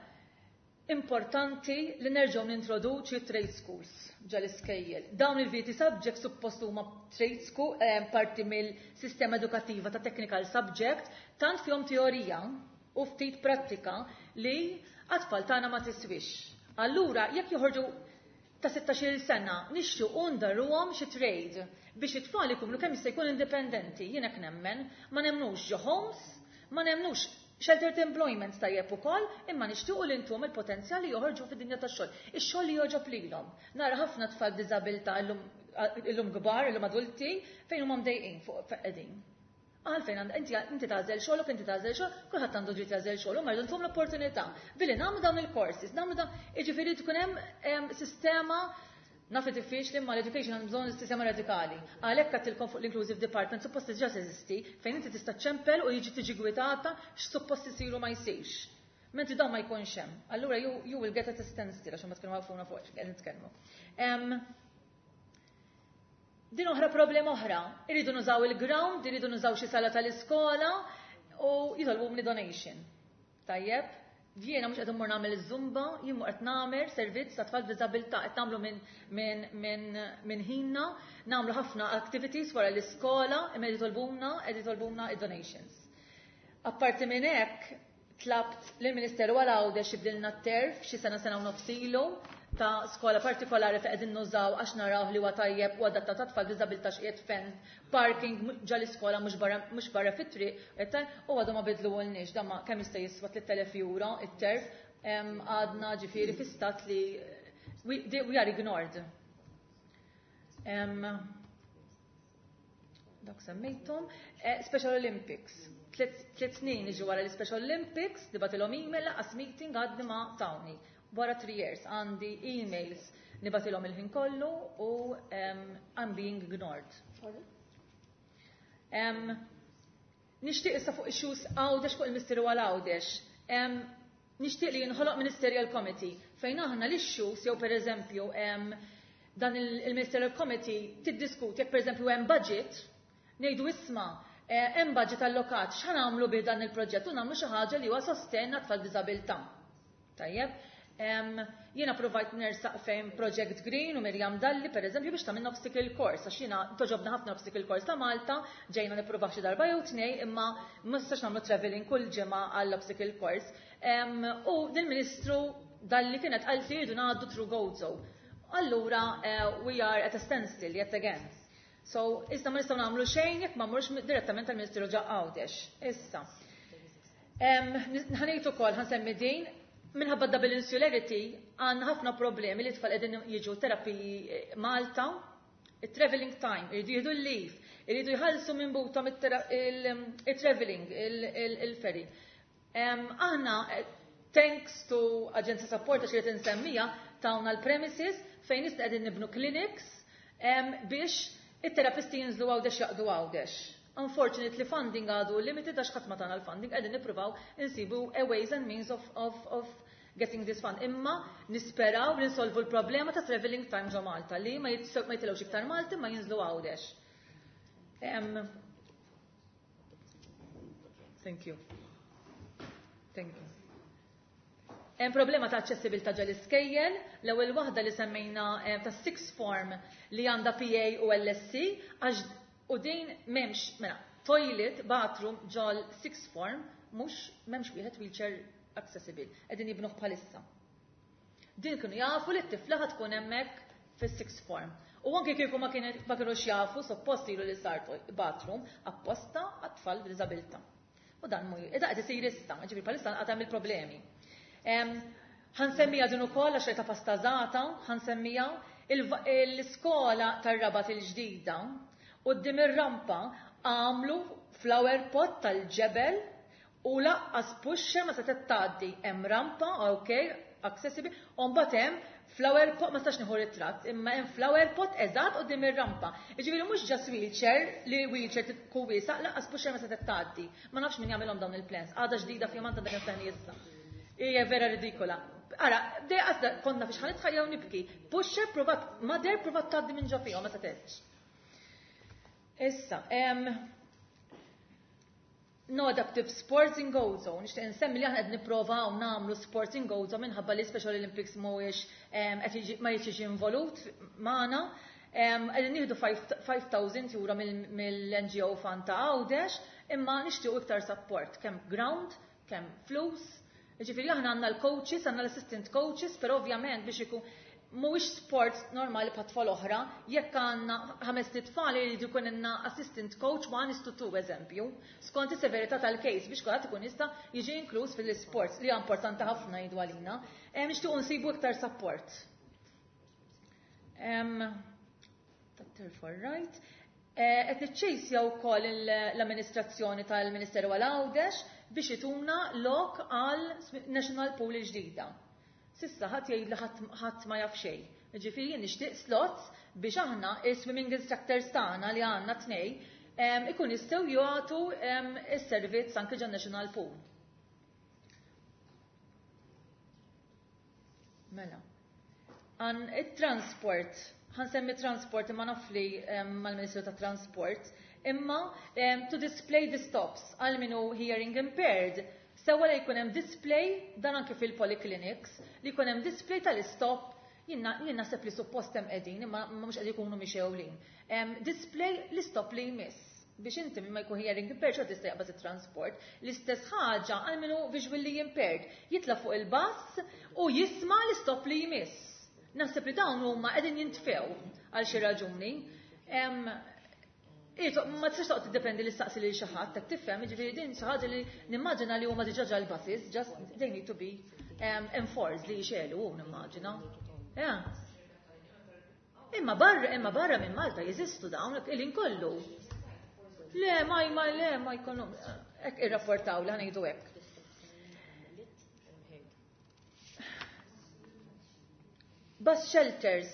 importanti li nerġgħu nintroduċi trade schools ġo l-iskejjel. Dawn il-V E T subjects suppost huma trade school, eh, parti mill-sistema edukattiva ta' technical subject, tant fihom teorija u ftit prattika li għat-tfal tagħna ma tiswix. Allura, jekk joħorġu ta' sittax-il sena, nixtiequ ndarruhom xi trade biex it-tfal ikunu kemm jista' jkun indipendenti. Jien hekk nemmen, ma nemnux ġo homes, ma nemnux sheltered employment tajjeb ukoll, imma nixtiequ li ntuhom il-potenzjal li joħorġu fid-dinja tax-xogħol. Ix-xogħol li jogħġob lilhom. Nara ħafna tfal b'diżabilità illum illum kbar, illum adulti, fejn huma mdejqin fuq qegħdin. Għalfejn inti inti tagħżel xogħolok, inti tagħżel xogħol, kulħadd għandu dritt jagħżel xogħol, u rridu ntuhom l-opportunità. Billi nagħmlu dawn il-courses, nagħmlu dawn, jiġifieri tkun hemm sistema, naf li diffiċli, ma l-education għandu bżonn sistema radikali. Għalhekk għedtilkom fuq l-inclusive department, suppost diġà teżisti, fejn inti tista' ċempel u jiġi tiġi gwidata x'suppost isiru ma jsirx. Mentri dawn ma jkunx hemm. Allura you, you will get at a standstill għax ma tkunu għafuna fuq x'qegħdin nitkellmu. Din oħra problema oħra, irridu nużaw il-ground, irridu nużaw xi sala tal-iskola u jitolbu donation. Tajjeb, jiena mhux qed immur nagħmel iż-zumba, jien mhux qed nagħmel servizz ta' tfal b'diżabilità, qed nagħmlu minn min, min, min ħinna, nagħmlu ħafna activities wara l-iskola, imma jitolbuna, qed jitolbuna id-donations. Apparti minn hekk, tlabt lill-Ministeru għal Għawdex jibdilna t-turf xi sena, sena u nofs ilu ta' skola partikolari fejn qegħdin nużaw għax naraw li huwa tajjeb u adattat ta' tfal b'diżabilità, x'qiegħed fenced, parking ġo l-iskola, mhux barra mhux barra fit-triq, u għadu ma bidluhulniex, dan ma kemm jista' jiswa tliet elef euro it-turf, għadna ġifieri fi stat li we, we are ignored. Um, dak semmejthom. Eh, Special Olympics. Tliet snin iġu wara l-Special Olympics, nibgħatilhom email, lanqas meeting għadni ma tawni. Wara three years għandi emails nibgħatilhom il-ħin kollu u um, I'm being ignored. Um, nixtieq issa fuq issues Għawdex, fuq il-Ministeru għal Għawdex. Um, nixtieq li jinħoloq Ministerial Committee fejn aħna l-issues jew per eżempju um, dan il-Ministerial Committee tiddiskuti jekk per eżempju hemm budget, ngħidu isma' eh, hemm budget allokat, x'ħa nagħmlu bi dan il-proġett u nagħmlu xi ħaġa li huwa sostenn għat-tfal b'diżabilità. Tajjeb, jiena provajt nersaq fejn Project Green u Miriam Dalli, per eżempju, biex tagħmilna obstacle course, għax jiena togħġobna ħafna obstacle course ta' Malta, ġejna nippruvaw xi darba jew tnej, imma ma nistax nagħmlu traveling kull ġimgħa għall obstacle course. U din-Ministru Dalli kienet qalt li jridu ngħaddu through Gozo. Allura, uh, we are at a standstill yet again. So, issa ma nistgħu nagħmlu xejn jekk ma mmurx direttament tal-Ministeru ġo Għawdex. Issa. Ħa ngħid ukoll, ħa nsemmi din, minħabba double insularity għandna ħafna problemi li tfal qegħdin jiġu terapiji eh, Malta, il-traveling time, iridu jieħdu l-leave, iridu jħallsu minn buthom il-traveling, il-ferry. Aħna, eh, thanks to Agency Support, għax irid insemmija, tawna l-premises fejn issa qegħdin nibnu clinics biex it-terapisti jinżlu Għawdex, jaqdu Għawdex. Unfortunately, funding għadu limited għax ħadd ma tana l-funding, qegħdin nippruvaw insibu a ways and means of, of, of getting this fund. Imma nisperaw li nsolvu l-problema ta' traveling time ġo Malta li ma jitilgħux iktar Malti ma jinżlu Għawdex. Um, thank you. Thank you. Hemm problema ta' aċċessibilità ġo l-iskejjel, l-ewwel waħda li semmejna eh, ta' sixth form li għandha P A u L S E, għax u din m'hemmx, mela, toilet, bathroom ġol sixth form, mhux m'hemmx wieħed wheelchair accessible, qegħdin jibnuh bħalissa. Din kienu jafu li t-tifla tkun hemmhekk fis-sixth form. U anke kieku ma kienux jafu, suppost ilu li sar bathroom apposta għat-tfal b'diżabilità. U dan mu, ida qed isir issa, ġifieri bħalissa għad hemm il-problemi. Ħa nsemmija din ukoll għax ta' pastażata, ħa nsemmija l-iskola tar-Rabat il-ġdida, quddiem ir-rampa għamlu flower pot tal-ġebel u lanqas pusher ma setgħet tgħaddi. Hemm rampa, ok, accessible, u mbagħad hemm flower pot, ma stax nieħu ritratt, imma hemm flower pot eżatt quddiem ir-rampa. Jiġifieri mhux just wheelchair, li wheelchair tkun wiesa', lanqas pusher ma setgħet tgħaddi. Ma nafx min jagħmilhom dawn il-plans. Għadha ġdida fi Malta dak il issa. Hija vera ridikola. Ara, dej għazda konna fiex ħa nitħajjaw nibki. Pusher provat, mother provat tgħaddi minn ġo fihom, ma setgħetx. Issa, em, No adaptive sports in Gozo. Nixtieq insemmi li aħna qed nipprovaw nagħmlu sports in Gozo minħabba li Special Olympics mhuwiex qed ma jiġix involut magħna. Qegħdin nieħdu five thousand euro mill-N G O Fund ta' Għawdex, imma nixtiequ iktar support, kemm ground, kemm flus. Jiġifieri aħna għandna l-coaches, għandna l-assistant coaches, però ovvjament biex ikun mhuwiex sport normali bħat tfal oħra, jekk għandna ħames tfal jridu jkun għandna assistant coach one is to two eżempju, skont is-severità tal-case biex kulħadd ikun jista' jiġi inkluż fil-sports li hija importanti ħafna jgħidu għalina. Nixtiequ nsibu iktar support. Doctor for right. Qed niċċejsja wkoll l-amministrazzjoni tal-Ministeru għal Għawdex biex ituna lok għal National Pool il-ġdida. Sissa ħadd jgħid li ħadd ma jaf xejn. Ġifieri jien nixtieq slots biex aħna is-swimming instructors tagħna li għandna tnej ikun jistgħu jagħtu is-servizz anke ġan National Pool. Mela. Għan it-transport, ħansemmi transport imma naf li mal-Ministru tat-Transport, imma to display the stops għal min hu hearing impaired. Sewa li jkun hemm display dan anke fil-polyclinics li jkun hemm display tal-istop, jien naħseb li suppost hemm qegħdin imma mhux qed ikunu mixewlin. Display l-istop li jmiss biex inti ma jkun hearing impaired xorta tista' jaqbad it-transport. L-istess ħaġa għal min hu visually impaired, jitla' fuq il-bus u jisma' l-istop li jmiss. Naħseb li dawn huma qegħdin jintfew għal xi raġuni. Ma tistax toqgħod tiddependi li staqsi lil xi ħadd, qed tifhem, jiġifieri din xi ħaġa li nimmaġina li huma diġà ġal-buses, just they need to be enforced li jxelu hu nimmaġina. Imma barra, imma barra minn Malta jeżistu dawn il-ħin kollu. Le, ma, ma, le, ma jkollhom hekk irrapportaw li ħanejdu hekk. Bus shelters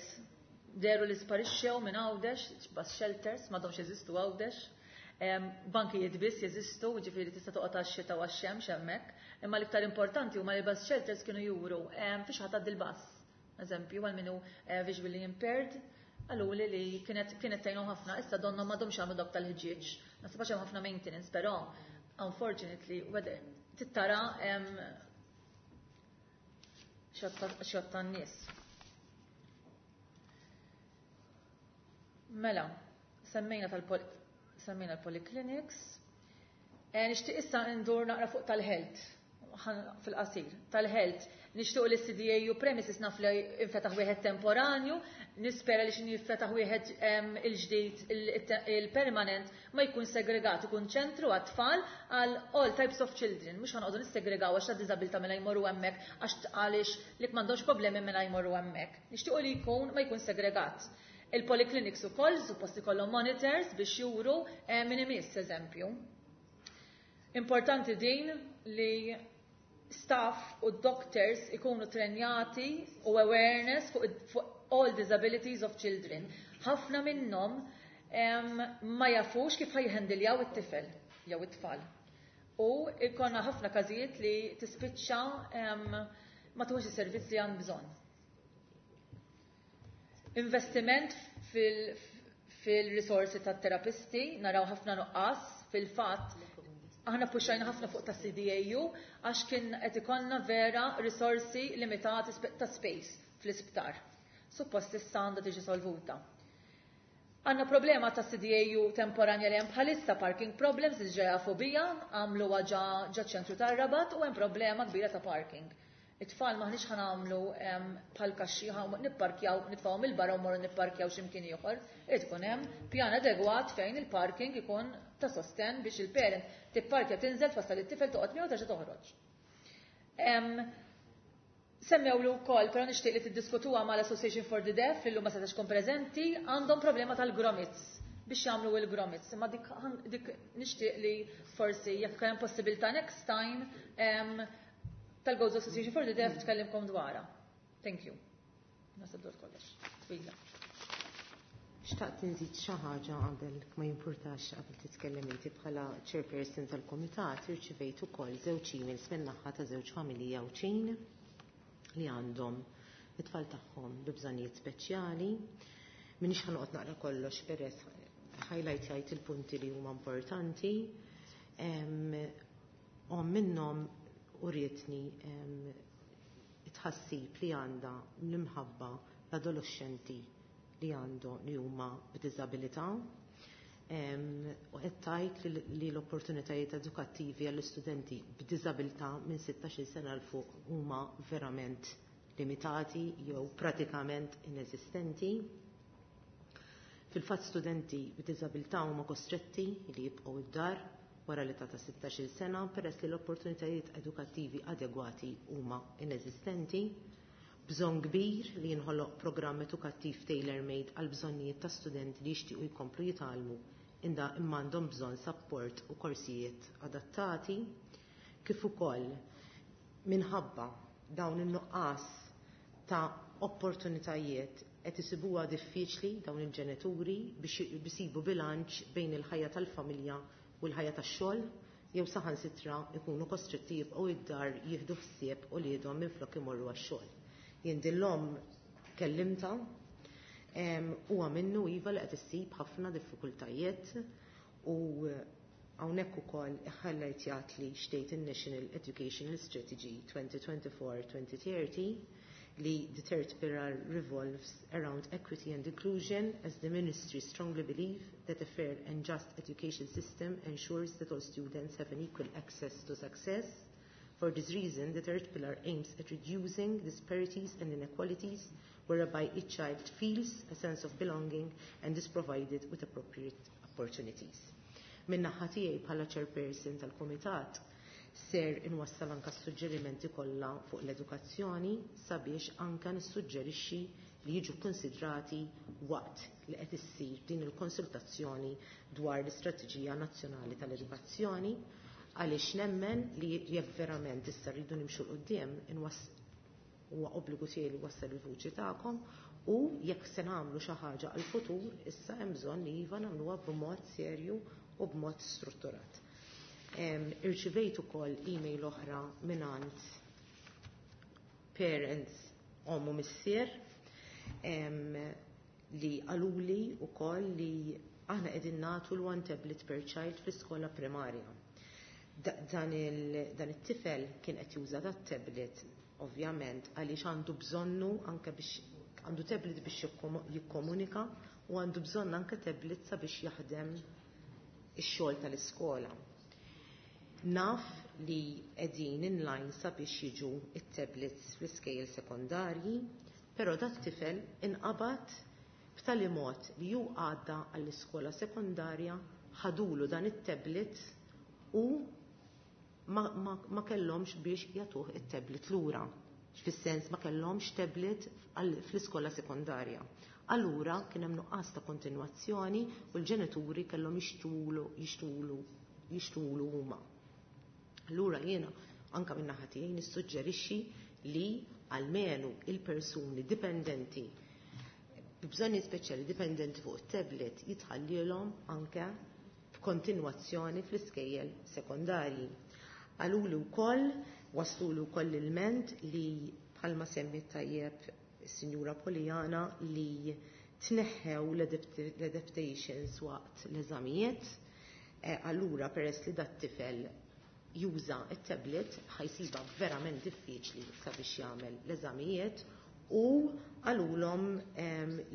deru li sparixxew minn Għawdex, bus shelters m'għadhomx jeżistu Għawdex. Bankijiet biss jeżistu, ġifieri tista' toqgħod għax-xita u għax-xemx hemmhekk. Imma l-iktar importanti huma li bus shelters kienu juru fiex ħadd għaddi l-bus. Eżempju, għal min hu visually impaired, qaluli li kienet kienet tgħinhom ħafna, issa donnhom m'għadhomx jagħmlu dawk tal-ħġieġ. Naħseb għax hemm ħafna maintenance, però unfortunately whether tittara xott tan-nies. Mela, semmejna tal-pol-, semmejna l-polyclinics. Nixtieq issa ndur naqra fuq tal-health, fil-qasir, tal-health. Nixtieq li C D A U premises naf li infetaħ wieħed temporanju, nispera li x'inhi jinfetaħ wieħed il-ġdid, il-permanent, ma jkun segregat, ikun ċentru għat-tfal għal all types of children. Mhux ħanqogħdu nissegregaw għax ta' diżabilità mela jmorru hemmhekk, għax għaliex li m'għandhomx problemi mela jmorru hemmhekk. Nixtiequ li jkun ma jkun segregat. Il-polyclinics ukoll suppost ikollhom monitors biex juru min imiss, eżempju. Importanti din li staff u doctors ikunu trenjati u awareness fuq, fuq all disabilities of children. Ħafna minnhom ma jafux kif ħajħendiljaw it-tifel jew it-tfal. U ikonna ħafna każijiet li tispiċċa ma tuħux is-servizz li għand bżonn. Investiment fil-, fil-risorsi tat-terapisti, naraw ħafna nuqqas, fil-fatt aħna puxajna ħafna fuq ta' C D A U għax kien qed ikollna vera risorsi limitati spe-, ta' space fl-isptar. Suppost issa għandha tiġi solvuta. Għandna problema ta' C D A U temporanja li hemm bħalissa parking problems li ġeja fobija, għamlu ġa, ġa ċentru tar-Rabat u hemm problema kbira ta' parking. It-tfal maħniex ħanamlu, em, bħal kaxxi, ħa nipparkjaw, nitfgħu mill-barra u morru nipparkjaw x'imkien ieħor. Irid ikun hemm pjan adegwat fejn il-parking ikun ta' sosten biex il-parent tipparkja, tinżel, twassal it-tifel, toqgħod miegħu terġa' toħroġ. Em, Semmewlu wkoll, però nixtieq li tiddiskutuha mal-Association for the Deaf, illum ma setax tkun preżenti, għandhom problema tal-gromits biex jagħmlu il-gromits. Imma dik, dik nixtieq li forsi jekk hemm possibilità next time, em, tal-Gozo Association for the Deaf tkellimkom dwarha. Thank you. Nasib dwar kollox. Twila. Xtaqt nżid xi ħaġa qabel ma jimpurtax qabel titkellem inti bħala chairperson tal-kumitat, irċivejt ukoll żewġ emails min-naħa ta' żewġ familji Għawdxin li għandhom it-tfal tagħhom bi bżonnijiet speċjali. Minix ħanoqgħod naqra kollox peress highlight jgħid il-punti li huma importanti. Omm minnhom urietni tħassib li għandha l-imħabba l-adolescenti li għandu li huma b'diżabilità u qed tgħid li l-opportunitajiet edukattivi għall-istudenti b'diżabilità minn sittax-il sena 'l fuq huma verament limitati jew pratikament ineżistenti. Fil-fatt studenti b'diżabilità huma kostretti li jibqgħu id-dar wara l-età ta' sittax-il sena peress li l-opportunitajiet edukattivi adegwati huma ineżistenti. Bżonn kbir li jinħoloq programm edukattiv tailor-made għal bżonnijiet ta' studenti li jixtiequ jkomplu jitgħallmu inda imma għandhom bżonn support u korsijiet adattati, kif ukoll minħabba dawn in-nuqqas ta' opportunitajiet qed isibuha diffiċli dawn il-ġenituri biex isibu bilanċ bejn il-ħajja tal-familja u l-ħajja tax-xogħol, jew saħansitra ikunu kostretti jibqgħu id-dar jieħdu ħsieb uliedhom minflok imorru għax-xogħol. Jien din l-omm kellimtha, huwa minnu iva li qed issib ħafna diffikultajiet u hawnhekk ukoll iħallajtjat li xtejt in-National Educational Strategy twenty twenty-four twenty thirty li the third pillar revolves around equity and inclusion, as the ministry strongly believe that a fair and just education system ensures that all students have an equal access to success. For this reason, the third pillar aims at reducing disparities and inequalities whereby each child feels a sense of belonging and is provided with appropriate opportunities. Min-naħa tiegħi bħala chairperson tal-Kumitat ser inwassal anka s-suġġerimenti kollha fuq l-edukazzjoni sabiex anka nissuġġerixxi li jiġu konsidrati waqt li qed issir din il-konsultazzjoni dwar l-Istrateġija Nazzjonali tal-Edukazzjoni, għaliex nemmen li jekk verament issa rridu nimxu 'l quddiem huwa obbligu tiegħi li wassal il-vuċi tagħkom, u jekk se nagħmlu xi ħaġa għall-futur issa hemm bżonn li iva nagħmluha b'mod serju u b'mod strutturat. Irċivejt ukoll email oħra mingħand parents omm u missier li qaluli wkoll li aħna qegħdin nagħtu l-one tablet per child fl-iskola primarja. Dan it-tifel kien qed juża dat tablet ovvjament għaliex għandu bżonnu anke biex għandu tablet biex jikkomunika u għandu bżonn anke tablet sabiex jaħdem ix-xogħol tal-iskola. Naf li qegħdin inline sabiex jiġu it-tablets fl-iskejjel sekondarji, però dat tifel inqabad b'tali mod li ju għadda għall-iskola sekondarja, ħadulu dan it-tablet u ma, ma, ma kellhomx biex jagħtuh it-tablet lura. Fis-sens ma kellhomx tablet fl-iskola sekondarja. Allura kien hemm nuqqas ta' kontinwazzjoni u l-ġenituri kellhom jixtulu, jixtulu, jixtulu huma. Allura jiena anka minn naħa tiegħi nissuġġerixxi li almenu il-persuni dipendenti b'bżonni speċjali dipendenti fuq it-tablet jitħallilhom anke f'kontinwazzjoni fl-iskejjel sekondarji. Qalulu wkoll, waslulu wkoll il-ment li bħalma semmi tajjeb is-Sinjura Poliana li tneħħew l-adaptations waqt l-eżamijiet. Allura peress li dat tifel juża it-tablet ħajsiba verament diffiċli sabiex jagħmel l-eżamijiet u qalulhom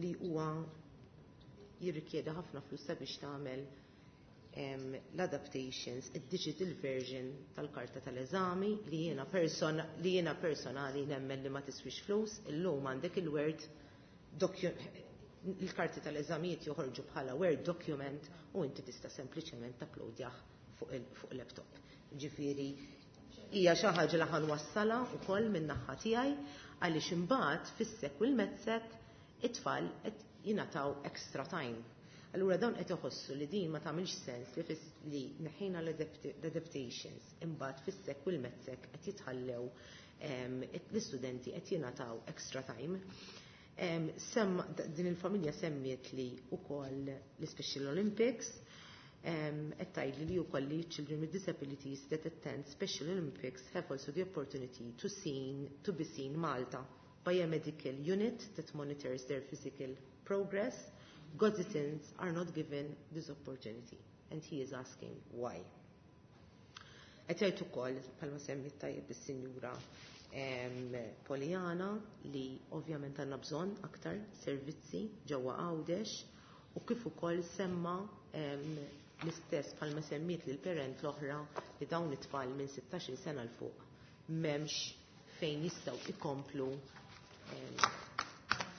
li huwa jirrikjedi ħafna flus sabiex tagħmel l-adaptations, id-digital version tal-karta tal-eżami li jiena person, li jiena personali nemmen li ma tiswix flus, illum għandek il-Word il-karti tal-eżamijiet joħorġu bħala Word document u inti tista' sempliċement tapplodjah fuq il-laptop. Ġifieri hija xi ħaġa li ħanwassalha wkoll min-naħa tiegħi għaliex imbagħad fis-sek u l-medsec it-tfal qed jingħataw extra time. Allura dawn qed iħossu li din ma tagħmilx sens li fis li neħejna l-adaptations imbagħad fis-sek u l-medsec qed jitħallew l-istudenti qed jingħataw extra time. Sem, din il-familja semmiet li wkoll l-Special Olympics, qed tgħidli li wkoll li children with disabilities that attend Special Olympics have also the opportunity to, seen, to be seen Malta by a medical unit that monitors their physical progress. Gozitan's are not given this opportunity, and he is asking why. Qed jgħid ukoll bħalma semmiet tajjeb is-Sinjura Poliana li ovvjament għandna bżonn aktar servizzi ġewwa Għawdex u kif ukoll semma l-istess bħalma semmiet lil parent l-oħra li dawn it-tfal minn sittax-il sena 'l fuq m'hemmx fejn jistgħu ikomplu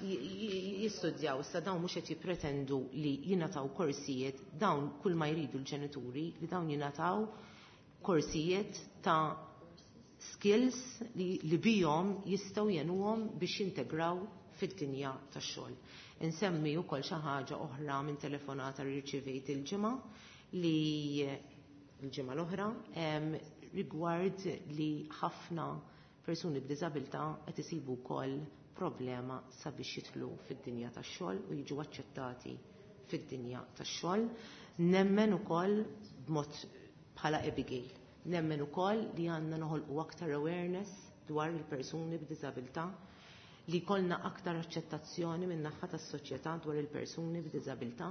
jistudjaw. Issa dawn mhux qed jippretendu li jingħataw korsijiet, dawn kull ma jridu l-ġenituri li dawn jingħataw korsijiet ta' skills li, li bihom jistgħu jenuhom biex jintegraw fid-dinja tax-xogħol. Insemmi wkoll xi ħaġa oħra minn telefonata li rċivejt il-ġimgħa li l-ġimgħa l-oħra rigward li ħafna persuni b'diżabilità qed isibu wkoll problema sabiex jidħlu fid-dinja tax-xogħol u jiġu aċċettati fid-dinja tax-xogħol. Nemmen ukoll b'mod bħala Abigail. Nemmen ukoll li għandna noħolqu aktar awareness dwar il-persuni b'diżabilità, li jkollna aktar aċċettazzjoni minn naħa tas-soċjetà dwar il-persuni b'diżabilità,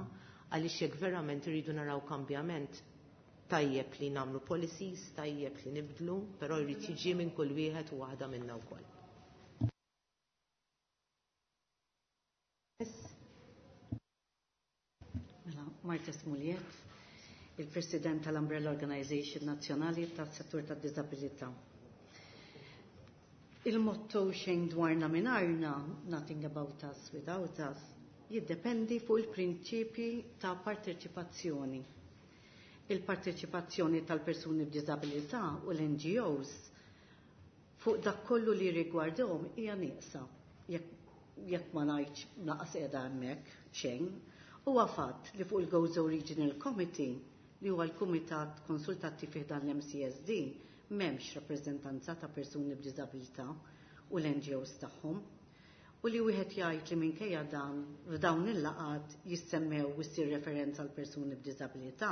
għaliex jekk verament irridu naraw kambjament tajjeb li nagħmlu policies, tajjeb li nibdlu, però jrid jiġi minn kull wieħed u waħda minna wkoll. Mela, Marta Smuliet, il-President tal-Umbrella Organization Nazzjonali tas-Settur tad-Diżabilità. Il-motto xejn dwarna mingħajrna, nothing about us without us, jiddependi fuq il-prinċipji ta' parteċipazzjoni. Il-parteċipazzjoni tal-persuni b'diżabilità u l-N G Os fuq dak kollu li rigwardhom hija nieqsa, jekk ma ngħidx naqas qiegħda hemmhekk xejn. Huwa fatt li fuq il-Gozo Regional Committee, li huwa l-Kumitat Konsultattiv fih dan l-M C S D, m'hemmx rappreżentanza ta' persuni b'diżabilità u l-N G Os tagħhom. U li wieħed jgħid li minkejja dan f'dawn il-laqgħat jissemmew u ssir referenza għal persuni b'diżabilità,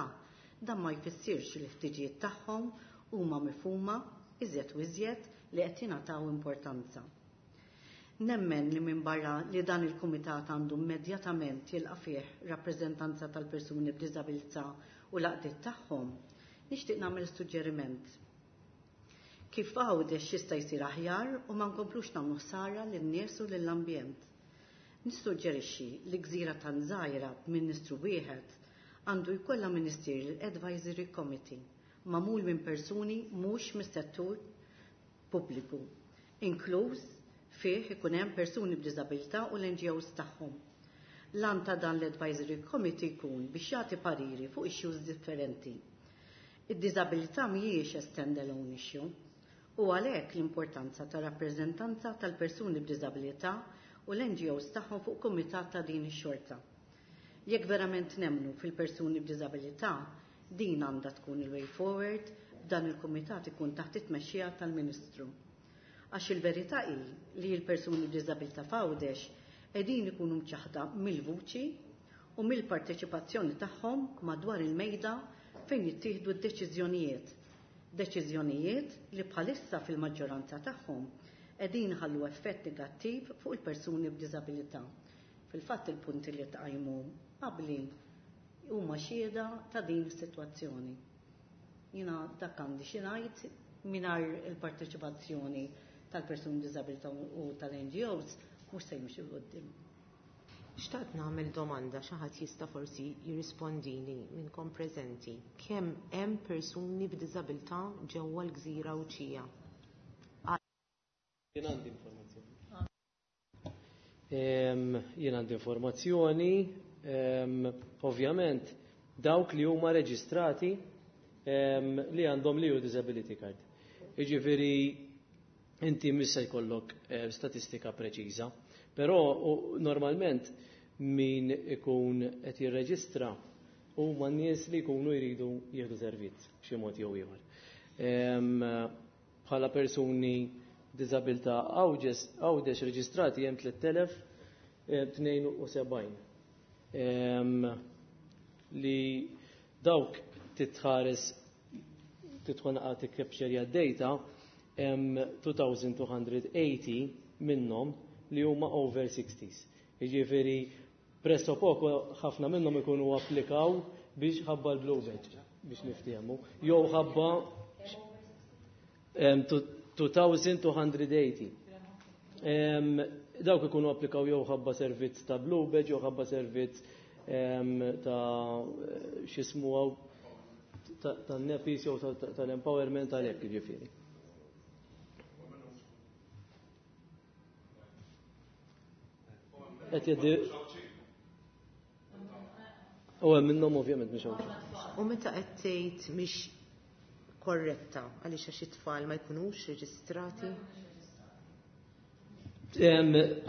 dan ma jfissirx li l-ħtiġijiet tagħhom huma mifhuma iżjed u iżjed li qed jingħataw importanza. Nemmen li minn barra li dan il-kumitat għandu immedjatament jilqa' fih rappreżentanza tal-persuni b'diżabilità u l-għaqdiet tagħhom, nixtieq nagħmel suġġeriment. Kif Għawdex jista' jsir aħjar u ma nkomplux nagħmlu ħsara lin-nies u lill-ambjent. Nissuġġerixxi li gżira tan żgħira b'ministru wieħed għandu jkollha Ministerial Advisory Committee magħmul minn persuni mhux mis-settur pubbliku, inkluż fih ikun hemm persuni b'diżabilità u l-N G Os tagħhom. L-għan ta' dan l-Advisory Committee jkun biex jagħti pariri fuq issues differenti. Id-diżabilità mhijiex a standalone issue u għalhekk l-importanza ta' rappreżentanza tal-persuni b'diżabilità u l-N G Os tagħhom fuq kumitat ta' din ix-xorta. Jekk verament nemmnu fil-persuni b'diżabilità, din għandha tkun il-way forward, dan il-kumitat ikun taħt it-tmexxija tal-Ministru. Għax il-verità hi li l-persuni b'diżabilità f'Għawdex qegħdin ikunu mċaħda mill-vuċi u mill-parteċipazzjoni tagħhom madwar il-mejda fejn jittieħdu d-deċiżjonijiet. Deċiżjonijiet li bħalissa fil-maġġoranza tagħhom qegħdin ħallu effett negattiv fuq il-persuni b'diżabilità. Fil-fatt il-punti li tqajmu qabli huma xhieda ta' din is-sitwazzjoni. Jiena dak għandi xi ngħid mingħajr il-parteċipazzjoni tal-persuni b'diżabilità u tal-N G Os mhux se jimxu 'l quddiem. Xtaqt nagħmel domanda, xi ħadd jista' forsi jirrispondini minnkom preżenti. Kemm hemm persuni b'diżabilità ġewwa l-Gżira Għawdxija? Jien għandi informazzjoni. Ehm, jien għandi informazzjoni, ehm, ovvjament dawk li huma reġistrati, ehm, li għandhom li hu disability card. Jiġifieri inti mhux se jkollok, eh, statistika preċiża, però u, normalment min ikun qed jirreġistra huma nies li jkunu jridu jieħdu servizz b'xi mod jew ieħor. Ehm, bħala persuni b'diżabilità Għawdex reġistrati hemm tliet elef, eh, tnejn u sebgħin. Ehm, li dawk titħares titħon għati tikkepxerja d-data hemm two thousand two hundred eighty minnhom li huma over sixties. Jiġifieri presso poco ħafna minnhom ikunu applikaw biex ħabba l-blue badge biex niftehmu, jew ħabba two thousand two hundred eighty. Dawk ikunu applikaw jew ħabba servizz ta' Blue Badge, jew ħabba servizz ta' x'ismu tan-nepis jew tal-empowerment għalhekk jiġifieri. Qed jgħaddi U hemm minnhom ovvjament mhix hawn. U meta qed tgħid mhix korretta għaliex għax it-tfal ma jkunux reġistrati?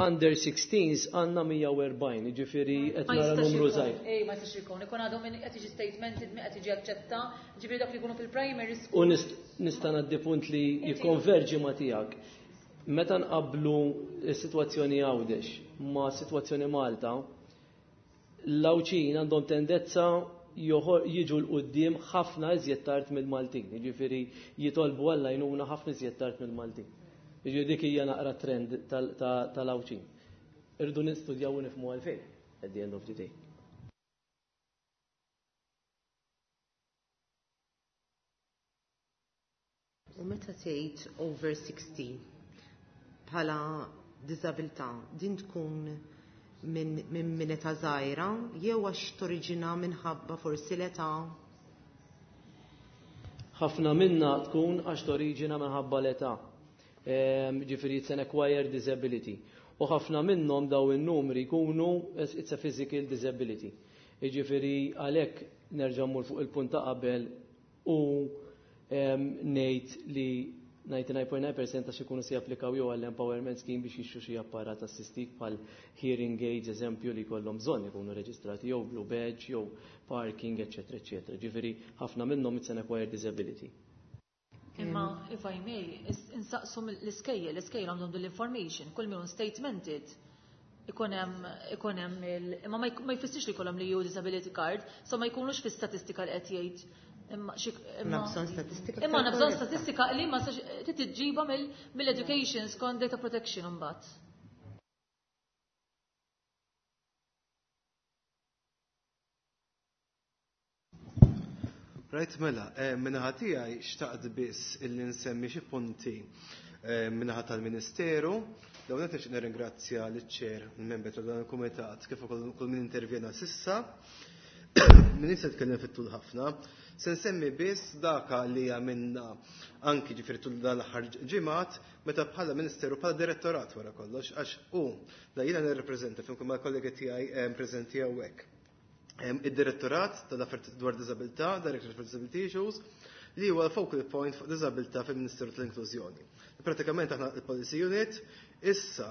Under sixteens għandna mija u erbgħin, jiġifieri qed nara numru żgħir. Ej, ma jistax ikun, ikun għadhom qed jiġi statemented, qed jiġi aċċetta, jiġifieri dak li jkunu fil-primary school. U nista' ngħaddi punt li jikkonverġi ma' tiegħek. Meta nqabblu s-sitwazzjoni Għawdex ma' sitwazzjoni Malta, l-Għawdxin għandhom tendenza jiġu l-qudiem ħafna iżjed tard mill-Maltin, jiġifieri jitolbu għall-għajnuna ħafna iżjed tard mill-Maltin. Jiġifieri dik hija naqra trend tal-Għawdxin. Irridu nistudjaw u nifhmu għalfejn at the end of the day. U meta tgħid over sixty bħala diżabilità, din tkun minn min età żgħira jew għax toriġina minħabba forsi l-età? Ħafna minna tkun għax toriġina minħabba l-età. Ġifieri it's an acquired disability. U ħafna minnhom daw in-numri jkunu it's a physical disability. Jiġifieri għalhekk nerġa' mmur fuq il-punt ta' qabel u ngħid li ninety-nine point nine percent għax ikunu se japplikaw jew għall-empowerment scheme biex jixtru xi apparat assistiv bħal hearing aids, eżempju, li jkollhom bżonn ikunu reġistrati jew blue badge jew parking, eċetera, eċetera. Ġifieri ħafna minnhom it's an acquired disability. Imma if I may, insaqsu l-iskejjel, l-iskejjel għandhom dil-information, kull min statemented ikun hemm ikun hemm il imma ma jfissirx li jkollhom li ju disability card, so ma jkunux fi statistika li qed jgħid. Imma xi imma bżonn statistika. Imma għandna bżonn statistika li ma trid tiġġibha mill-education skont data protection imbagħad. Right, mela, minnaħa tiegħi xtaqt biss illi nsemmi xi punti minnaħa tal-Ministeru. Dawn qed nixtieq nirringrazzja liċ-chair, il-membri ta' dan il-kumitat, kif ukoll kull min intervjena sissa. Min issa tkellem fit-tul ħafna. Se nsemmi biss daka li għamilna anki ġifieri tul dan l-aħħar ġimgħat meta bħala Ministeru bħala direttorat wara kollox, għax hu la jiena nirrepreżenta flimkien mal-kollegi tiegħi preżenti hawnhekk. Id-direttorat tal-affarijiet dwar diżabilità, Directorate for Disability Issues, li huwa l-focal point fuq diżabilità fil-Ministeru tal-Inklużjoni. Pratikament aħna il-Policy Unit, issa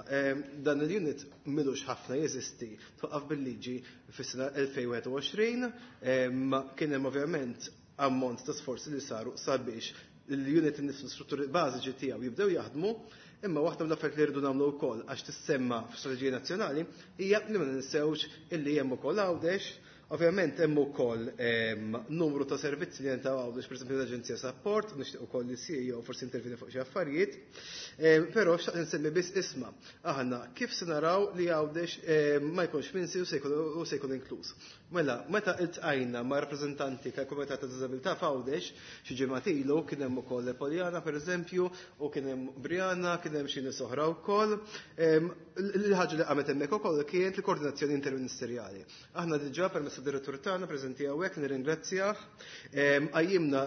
dan il-unit m'ilux ħafna jeżisti, twaqqaf bil-liġi fis-sena elfejn wieħed u għoxrin, kien hemm ovvjament ammont ta' sforzi li saru sabiex l-unit innifsu strutturi bażiċi tiegħu jibdew jaħdmu, imma waħda mill-affarijiet li rridu nagħmlu wkoll għax tissemma f'strateġija nazzjonali hija li ma ninsewx illi hemm ukoll Għawdex. Ovvjament hemm ukoll numru ta' servizzi li jentaw Għawdex, pereżempju l-Aġenzija Support, nixtieq ukoll li C E O forsi intervjeni fuq xi affarijiet. Però xtaqt insemmi biss isma' aħna kif se naraw li Għawdex ma jkunx minsi u se jkun inkluż. Mela, meta iltqajna ma' rappreżentanti tal-Kumitat ta' Diżabilità f'Għawdex xi ġimgħat ilu, kien hemm ukoll Poljana pereżempju, u kien hemm Brianna, kien hemm xi nies oħra wkoll. Il-ħaġa li qamet hemmhekk ukoll kienet il-koordinazzjoni interministerjali. Aħna diġà permezz tad-direttur tagħna preżenti hawnhekk nirringrazzjah. Qajjimna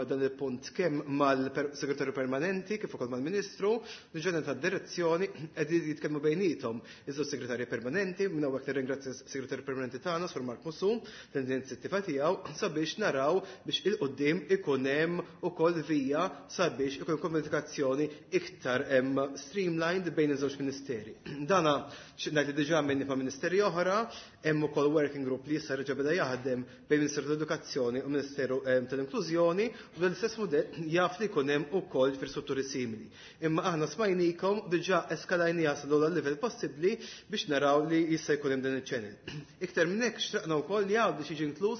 dan il-punt kemm mal-segretarju permanenti kif ukoll mal-Ministru, diġà tad-direzzjoni qegħdin jitkellmu bejniethom iż-żewġ segretarji permanenti, minn hawnhekk nirringrazzja s-segretarju permanenti tagħna Sur Mark Musù l-inizjattiva tiegħu sabiex naraw biex il-qudiem ikun hemm ukoll vija sabiex ikun komunikazzjoni iktar hemm streamlined bejn iż-żewġ ministeri. Dana ngħid li diġà minni ma' ministeri oħra, hemm ukoll working group li issa reġa' beda jaħdem bejn Ministeru tal-Edukazzjoni u Ministeru tal-Inklużjoni, u l-istess mudell jaf li jkun hemm ukoll fi strutturi simili. Imma aħna smajnikom diġà eskalajniha sa l-ogħla livell possibbli biex naraw li jista' jkun hemm dan iċ-channel. Iktar minn hekk xtaqna wkoll li għadu biex jiġi inkluż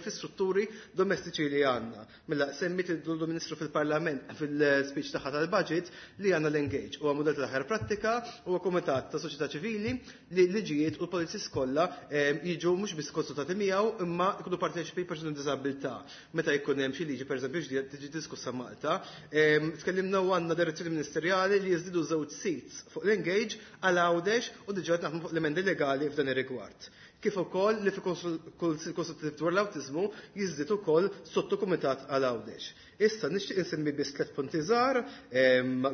fi strutturi domestiċi li għandna. Mela semmit il-Ministru fil-Parlament fil-speech tagħha tal-budget li għandna l-Engage huwa mudell tal-aħjar prattika, huwa kumitat ta' soċjetà ċivili li liġijiet u l-policies kollha jiġu mhux biss biss konsultati miegħu imma jkunu parteċipi persuni b'diżabilità. Meta jkun hemm xi liġi pereżempju ġdida tiġi diskussa Malta, tkellimna u għandna direzzjoni ministerjali li jiżdiedu żewġ seats fuq l-Engage għal Għawdex u diġà qed naħdmu fuq l-emendi legali f'dan ir-rigward. Kif ukoll li fil-Kunsill Konsultattiv dwar l-Awtiżmu jiżdied ukoll sottokumitat għal Għawdex. Issa nixtieq insemmi biss tliet punti żgħar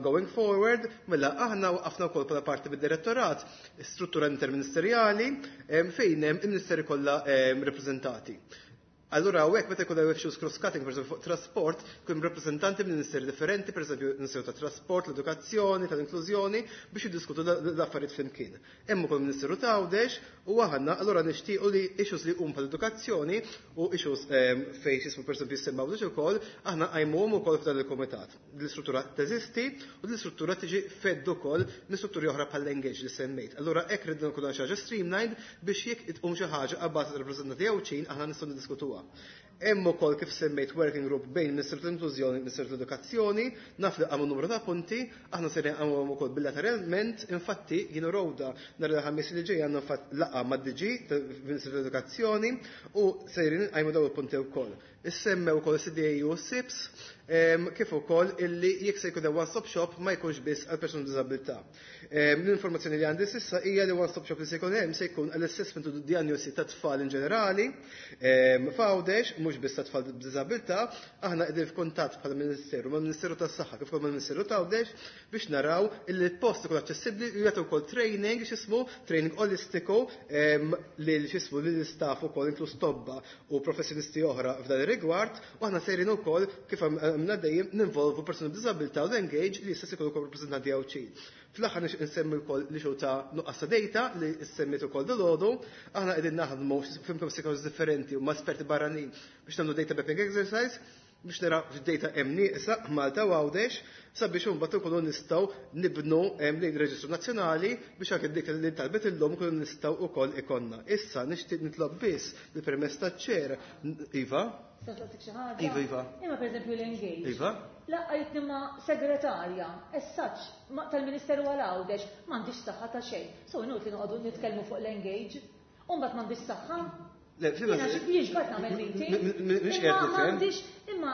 going forward, mela aħna waqafna wkoll bħala parti mid-direttorat struttura interministerjali fejn hemm il-ministeri kollha rappreżentati. Allura hawnhekk meta jkun hemm issues cross-cutting, pereżempju fuq trasport, jkun rappreżentanti minn ministeri differenti, pereżempju Ministeru tat-Trasport, l-Edukazzjoni, tal-Inklużjoni, biex jiddiskutu l-affarijiet flimkien. Hemm ukoll Ministeru ta' Għawdex u aħna allura nixtiequ li issues li huma bħall-edukazzjoni u issues fejn x'ismu pereżempju jissemma Għawdex ukoll, aħna qajmuhom ukoll f'dan il-kumitat. L-istruttura teżisti u l-istruttura tiġi fed ukoll minn strutturi oħra bħall-Engage li semmejt. Allura hekk ridna nkunu xi ħaġa streamlined biex jekk tqum xi ħaġa abbażi tar-rappreżentanti Għawdxin aħna nistgħu niddiskutuha. Hemm ukoll kif semmejt working group bejn Ministeru tal-Inklużjoni u Ministeru tal-Edukazzjoni, naf li qamu numru ta' punti, aħna ser nqamuhom ukoll bilateralment, infatti jien u Rhoda nhar il-Ħamis li ġej għandna fatt laqgħa mad-D G tal-Ministeru tal-Edukazzjoni u sejrin nqajmu dawn il-punti wkoll. Issemmew ukoll C D A u S I Ps, kif ukoll illi jekk se jkun hemm one-stop shop ma jkunx biss għal persuni b'diżabilità. L-informazzjoni li għandi s'issa hija li one-stop shop li se jkun hemm se jkun għall-assessment u diagnosi ta' tfal in ġenerali f'Għawdex, mhux biss ta' tfal b'diżabilità. Aħna qegħdin f'kuntatt bħala Ministeru mal-Ministeru tas-Saħħa kif ukoll mal-Ministeru ta' Għawdex biex naraw illi l-post ikun aċċessibbli u jagħtu wkoll training, x'ismu, training olistiku lil, x'ismu, lill-istaff ukoll, inkluż tobba u professjonisti oħra f'dan ir-rigward, u aħna sejrin ukoll kif għamilna dejjem ninvolvu persuni b'diżabilità u l-Engage li jista' jkunu wkoll rappreżentanti Għawdxin. Fl-aħħar nixtieq insemmi wkoll li xew ta' nuqqas ta' data li semmiet ukoll dalgħodu, aħna qegħdin naħdmu f'imkom stakeholders differenti u ma' esperti barranin biex nagħmlu data mapping exercise biex naraw x'data hemm nieqsa Malta u Għawdex sabiex imbagħad ikunu nistgħu nibnu lejn reġistru nazzjonali biex anke dik li talbet illum ikunu nistgħu wkoll ikollna. Issa nixtieq nitlob biss bil-permess taċ-chair. Iva? Iva, Iva. Imma pereżempju l-Engage. Iva? Laqqajtni ma' segretarja, as such, tal-Ministeru għal Għawdex, m'għandix saħħa ta' xejn. So inutli noqogħdu nitkellmu fuq l-Engage. U mbagħad m'għandix saħħa. Le, Jiena xi jiġbad nagħmel meeting. Mhix qiegħed nifhem. M'għandix, imma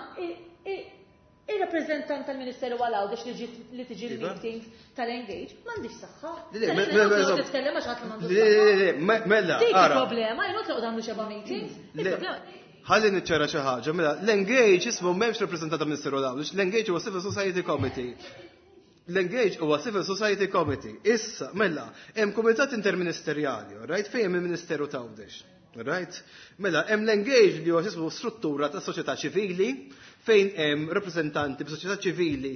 ir-rappreżentant tal-Ministeru għal Għawdex li ġiet li tiġi Iva. l-meetings tal-Engage, m'għandix saħħa. Le, le, mela, Titkellem għax ħadd m'għandu Le, le, le, mela, Dik ara. il-problema, inutli noqogħdu nagħmlu xeba meetings. Il-problema Ħalli niċċara xi ħaġa, mela, l-Engage ismu m'hemmx rappreżentata Ministeru Għawdex, l-Engage huwa Civil Society Committee. L-Engage huwa Civil Society Committee. Issa, mela, hemm kumitat interministerjali, right, fejn hemm il-Ministeru ta' Għawdex. Right? Mela, hemm l-Engage li huwa ismu struttura ta' soċjetà ċivili fejn hemm rappreżentanti b'soċjetà ċivili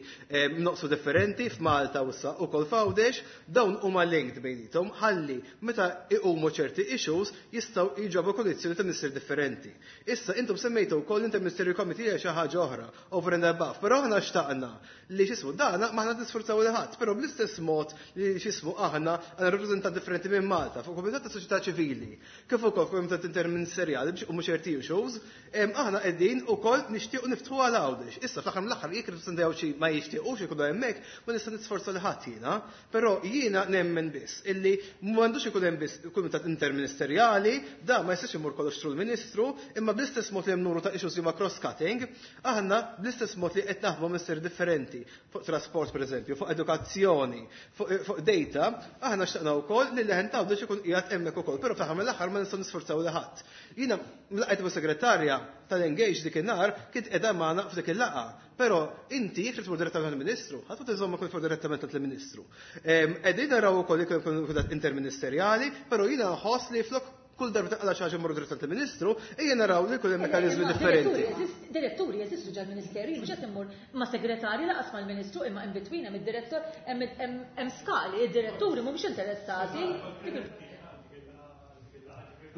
noqsu differenti f'Malta u issa ukoll f'Għawdex, dawn huma linked bejniethom ħalli meta iqumu ċerti issues jistgħu jġabu kondizzjoni ta' ministeri differenti. Issa intom semmejtu wkoll Interministerial Committee hija xi ħaġa oħra over and above, però aħna xtaqna li, x'ismu, dana m'aħna nisfurzaw li ħadd, però bl-istess mod li, x'ismu, aħna għandna rappreżentanti differenti minn Malta fuq kumitat ta' soċjetà ċivili, kif ukoll kumitat interministerjali biex iqumu ċerti issues, aħna qegħdin ukoll nixtiequ niftħu għal Għawdex. Issa fl-aħħar mill-aħħar jekk rappreżentaw xi ma jixtiequx ikunu hemmhekk, ma nista' nisforza li ħadd jiena, però jiena nemmen biss illi m'għandux ikun hemm biss kumitat interministerjali, da ma jistax imur kollox through l-Ministru, imma bl-istess mod li hemm numru ta' issues li huma cross-cutting, aħna bl-istess mod li qed naħdmu ministeri differenti, fuq trasport pereżempju, fuq edukazzjoni, fuq fuq data, aħna xtaqna wkoll li l-leħen ta' Għawdex ikun qiegħed hemmhekk ukoll, però fl-aħħar mill-aħħar ma nistgħu nisforzaw li ħadd. Jiena laqgħet ma' segretarja tal-Engage dik in-nhar kient qiegħda magħna f'dik il-laqgħa. Però inti jekk tmur direttament għall-Ministru, ħadd tiżomma kull fuq direttament għall-Ministru. Qegħdin naraw ukoll jekk ikun kumitat interministerjali, però jiena nħoss li flok kull darba taqla xi ħaġa mmorru direttament għall-Ministru, ejja naraw li jkun hemm mekkaniżmi differenti. Diretturi jeżistu ġal ministeri, mhux qed immur ma' segretarji laqas mal-Ministru, imma in between hemm id-direttur, hemm skali, id-diretturi mhumiex interessati.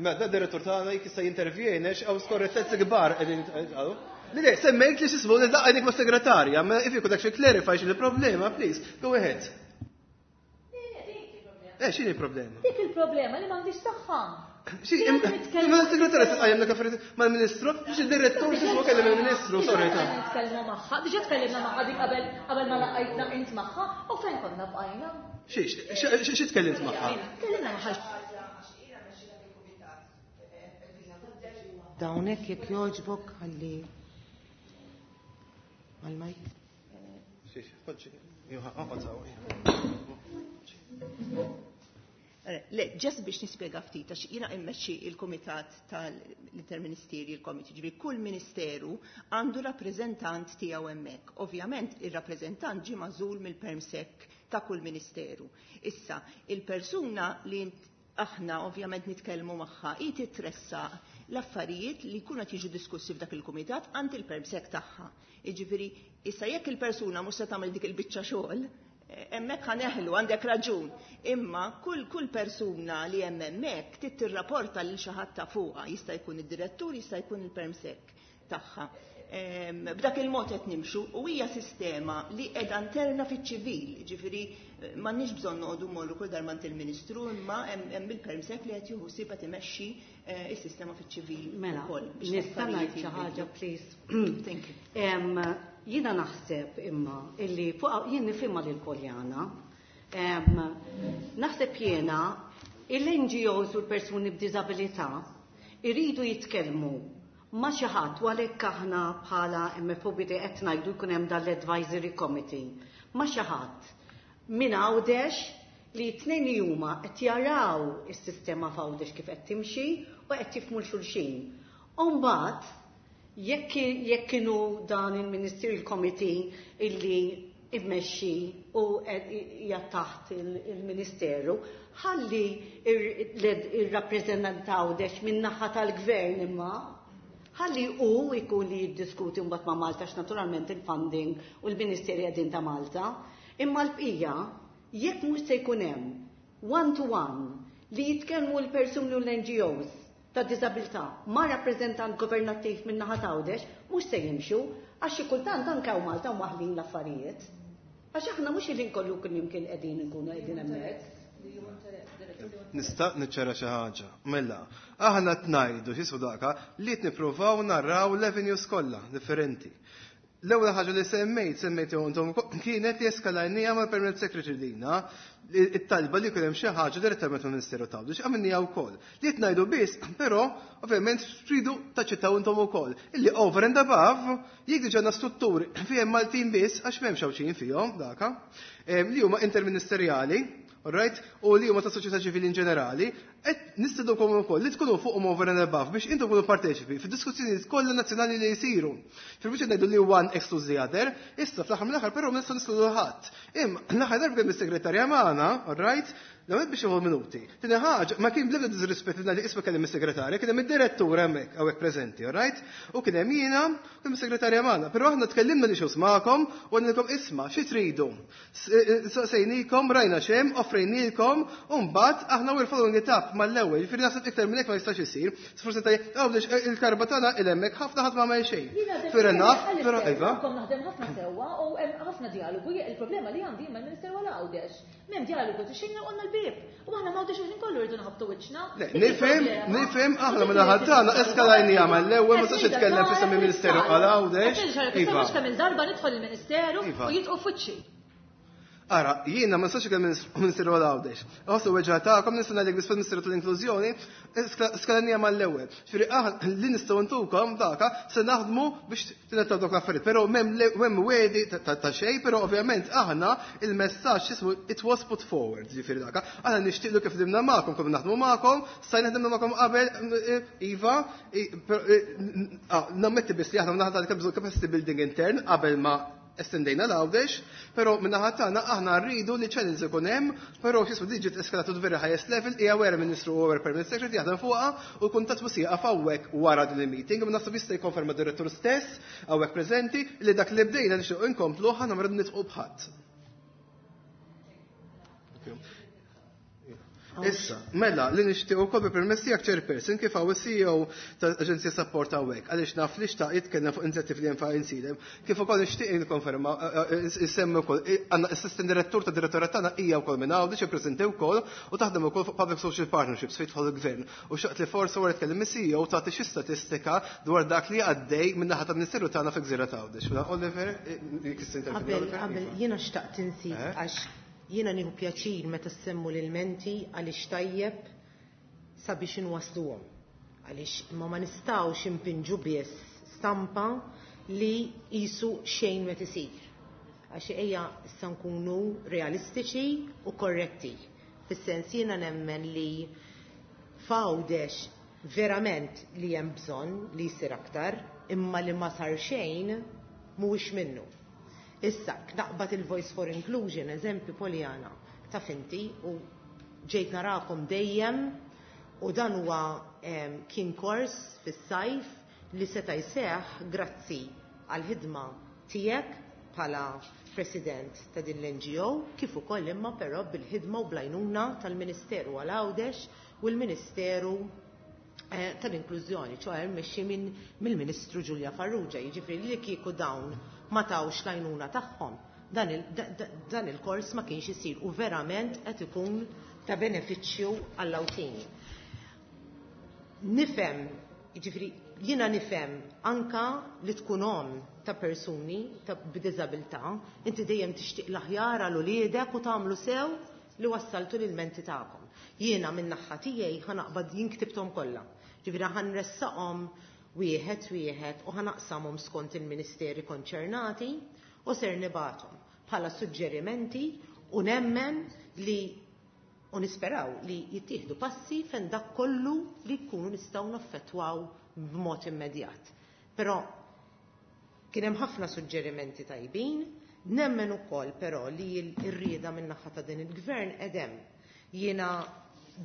Ma da direttur tagħna jekk jista' jintervjeni għaw skorrettezzi kbar qegħdin jitqalu. Le, le, semmejt li x'ismu li laqgħenik ma' segretarja, ma if you could actually clarify x'inhi il-problema, please, go ahead. Eh, x'inhi il-problema? Dik il-problema li m'għandix saħħa. Xi, imma s-segretarja tqajjem dak affarijiet mal-Ministru, biex id-direttur x'ismu kellem il-Ministru, sorry ta'. Nitkellmu magħha, diġà tkellimna magħha dik qabel qabel ma laqajtna int magħha u fejn konna bqajna. Xi, xi tkellimt magħha? Tkellimna magħha. Dawnek jekk jogħġbok ħalli mal-mike. Le, ġest biex nispjega ftit, għax jiena immexxi il-Kumitat tal-Interministerial Committee, ġifieri kull ministeru għandu rappreżentant tiegħu hemmhekk. Ovvjament ir-rappreżentant ġie magħżul mill-permsec ta' kull ministeru. Issa, il-persuna li aħna ovvjament nitkellmu magħha hi titressaq l-affarijiet li jkunu qed jiġu diskussi f'dak il-kumitat għand il-permsec tagħha. Jiġifieri, issa jekk il-persuna mhux se tagħmel dik il-biċċa xogħol, hemmhekk ħaneħlu, għandek raġun. Imma kull kull persuna li hemm hemmhekk trid tirrapporta lil xi ħadd ta' fuqha, jista' jkun id-direttur, jista' jkun il-permsec tagħha. B'dak il-mod qed nimxu u hija sistema li qiegħda interna fiċ-ċivil, ġifieri m'għandniex bżonn noqogħdu mmorru kull darba il-Ministru, imma hemm il-permsec li qed jieħu ħsieb qed imexxi is-sistema fiċ-ċivil Mela, ukoll. Nista' ngħid xi ħaġa, please. Thank you. Jiena naħseb imma illi fuq jien nifhimha lil Poljana. Naħseb jiena il-N G Os u l-persuni b'diżabilità iridu jitkellmu ma' xi ħadd, u għalhekk aħna bħala M F O B D qed ngħidu jkun hemm dan l-advisory committee ma' xi ħadd minn Għawdex li t-tnejn li huma qed jaraw is-sistema f'Għawdex kif qed timxi u qed jifhmu l-xulxin. U mbagħad jekk jekk kienu dan il-Ministerial Committee illi immexxi u hija taħt il-Ministeru, ħalli ir-rappreżentant Għawdex min-naħa tal-Gvern imma ħalli hu jkun li jiddiskuti mbagħad ma' Malta, għax naturalment il-funding u l-Ministeri qegħdin ta' Malta. Imma l-bqija jekk mhux se jkun hemm one to one li jitkellmu l-persuni u l-N G Os ta' diżabilità ma' rappreżentant governattiv minn naħa t'Għawdex, mhux se jimxu, għax xi kultant anke hawn Malta waħlin l-affarijiet. Għax aħna mhux il-ħin kollu kull imkien qegħdin nkunu qegħdin hemmhekk. Nista' niċċara xi ħaġa. Mela, aħna qed ngħidu x'ismu daka li qed nippruvaw narraw l-avenues kollha differenti. L-ewwel ħaġa li semmejt, semmejt jew intom kienet li eskalajnija mal-Permanent Secretary dina it-talba li jkun hemm xi ħaġa direttament mill-Ministeru ta' Għawdex, għamilniha wkoll. Li qed ngħidu biss, però ovvjament tridu taċċettaw intom ukoll. Illi over and above jekk diġà għandna strutturi fihom Maltin biss għax m'hemmx Għawdxin fihom daka, em, li huma interministerjali, all right, u li huma ta' soċjetà ċivili in ġenerali, qed nistidukom ukoll li tkunu fuqhom over and above biex intom tkunu parteċipi fid-diskussjonijiet kollha nazzjonali li jsiru. Fil-biċċa ngħidu li one excludes the other, issa fl-aħħar mill-aħħar però ma nistgħu niskludu ħadd. Imma l-aħħar darba kemm is-segretarja magħna, all right, l-ewwel biex jieħu minuti. Tieni ħaġa, ma kien bl-ebda disrispett li ngħid isma' kellem is-segretarja, kien hemm id-direttur hemmhekk hawnhekk preżenti, all right? U kien hemm jiena, kien hemm is-segretarja magħna. Però aħna tkellimna li xi magħkom u għandilkom isma' xi tridu. Saqsejnikom, rajna x'hemm, offrejnielkom, u mbagħad aħna we're following it up mal-ewwel. Jiġifieri naħseb iktar minn hekk ma jistax isir. Forsi tgħid, Għawdex, il-karba tagħna il hemmhekk ħafna ħadd ma għamel xejn. Fair enough, però iva. Kom naħdem ħafna sewwa u hemm ħafna dialogu. Il-problema li għandi mal-Ministeru għal Għawdex. M'hemm dialogu xejn għandna l-bieb. U aħna m'Għawdex il-ħin kollu rridu nħabtu wiċċna. Le, nifhem, nifhem aħna minn naħa tagħna eskalajnija mal-ewwel ma sax jitkellem f'isem il-Ministeru għal Għawdex. Iva. Mhux kemm il-darba nidħol il-Ministeru u jitqu f'wiċċi. Ara, jiena ma nistax ikellem Ministeru għal Għawdex. Ħossu weġġa tagħkom nista' ngħidlek biss fil-Ministeru tal-Inklużjoni, skalanija mal-ewwel. Ġifieri aħna li nistgħu ntukom daka se naħdmu biex tingħataw dawk l-affarijiet. Però m'hemm le-, m'hemm wedi ta', ta', ta' xejn, però ovvjament aħna il-messaġġ ismu it was put forward, ġifieri daka. Aħna nixtieqlu kif ħdimna magħkom, kif naħdmu magħkom, stajna ħdimna magħkom qabel, iva, i-, però, i-, n-, ah, nammetti biss li aħna naħdmu tal-bżonn capacity building intern qabel ma estendejna l-Għawdex, però min-naħa tagħna aħna rridu li channels ikun hemm, però x'ismu diġi eskalatu very highest level, hija wera Ministru u wera Permanent Secretary jaħdem fuqha u l-kuntatt mhux jieqaf hawnhekk wara din il-meeting, imma naħseb jista' jikkonferma d-direttur stess hawnhekk preżenti li dak li bdejna nixtiequ inkomplu ħa nagħmlu nitqu bħadd. Issa, mela, li nixtieq ukoll bi permess tiegħek chairperson kif hawn is-C E O tal-Aġenzija Support hawnhekk, għaliex naf li xtaq jitkellem fuq inizjattivi li hemm fuq insidem, kif ukoll nixtieq nikkonferma, eh, eh, eh, insemmi wkoll, eh, għandna assistant direttur ta' direttorat tagħna hija wkoll minn hawn, diġà preżenti wkoll u taħdem ukoll fuq Public Social Partnerships fejn tidħol il-gvern. U xtaqt li forsi wara tkellem is-C E O tagħti xi statistika dwar dak li għaddej minn naħa tal-Ministeru tagħna fi Gżira ta' Għawdex. Mela, Oliver, eh, jekk tista' intervjeni, Qabel, Oliver, qabel, iva. jiena xtaqt insit Eh? għax jiena nieħu pjaċir meta ssemmu l-ilmenti għaliex tajjeb sabiex inwasluhom. Għaliex imma ma nistgħux impinġu biss stampa li qisu xejn ma tisir. Għax ejja issa nkunu realistiċi u korretti. Fis-sens jiena nemmen li f'Għawdex verament li hemm bżonn li jsir aktar, imma li ma sar xejn mhuwiex minnu. Issa, naqbad il-Voice for Inclusion, eżempju Poljana, taf inti u ġejt narakom dejjem u dan huwa kien kors fis-sajf li seta' jseħħ grazzi għall-ħidma tiegħek bħala president ta' din l-N G O kif ukoll imma però bil-ħidma u bl-għajnuna tal-Ministeru għal Għawdex u l-Ministeru eh, tal-Inklużjoni, ċoè mmexxi minn mill-Ministru Giulia Farrugia, jiġifieri li kieku dawn ma tawx l-għajnuna tagħhom, dan il-kors ma kienx isir u verament qed ikun ta' benefiċċju għall-Għawdxin. Nifhem, jiġifieri jiena nifhem anka li tkun om ta' persuni ta' b'diżabilità, inti dejjem tixtieq l-aħjar għal uliedek u tagħmlu sew li wassaltu l-menti tagħkom. Jiena minn naħa tiegħi ħa naqbad jien ktibthom kollha. Ġifieri ħa nressaqhom wieħed wieħed u ħa naqsamhom skont il-ministeri konċernati u ser nibgħathom bħala suġġerimenti u nemmen li u nisperaw li jittieħdu passi fejn dak kollu li jkunu nistgħu naffettwaw b'mod immedjat. Però kien hemm ħafna suġġerimenti tajbin, nemmen ukoll però li r-rieda min-naħa ta' din il-gvern edem. Jiena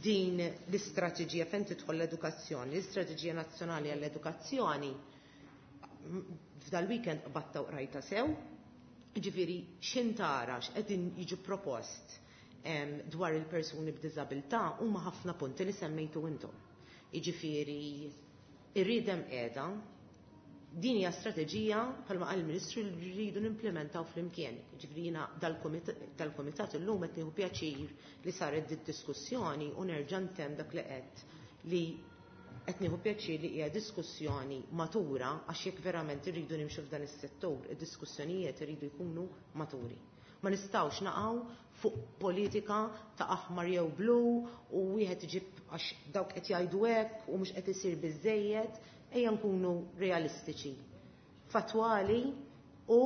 din l-istrateġija fejn tidħol l-edukazzjoni, l-istrateġija nazzjonali għall-edukazzjoni, f'dal-weekend qbadtha u qrajtha sew, ġifieri x'intara x'qegħdin jiġu propost dwar il-persuni b'diżabilità huma ħafna punti li semmejtu intom. Jiġifieri ir-rieda qiegħda, din hija strateġija bħalma qal il-Ministru li rridu nimplementaw flimkien. Ġifieri jiena dal-kumitat illum qed nieħu pjaċir li saret diskussjoni u nerġa' ntemm dak li qed li qed nieħu pjaċir li hija diskussjoni matura għax jekk verament irridu nimxu f'dan is-settur, id-diskussjonijiet iridu jkunu maturi. Ma nistgħux naqgħu fuq politika ta' aħmar jew blu u wieħed iġib għax dawk qed jgħidu hekk u mhux qed isir biżejjed, ejja nkunu realistiċi, fatwali u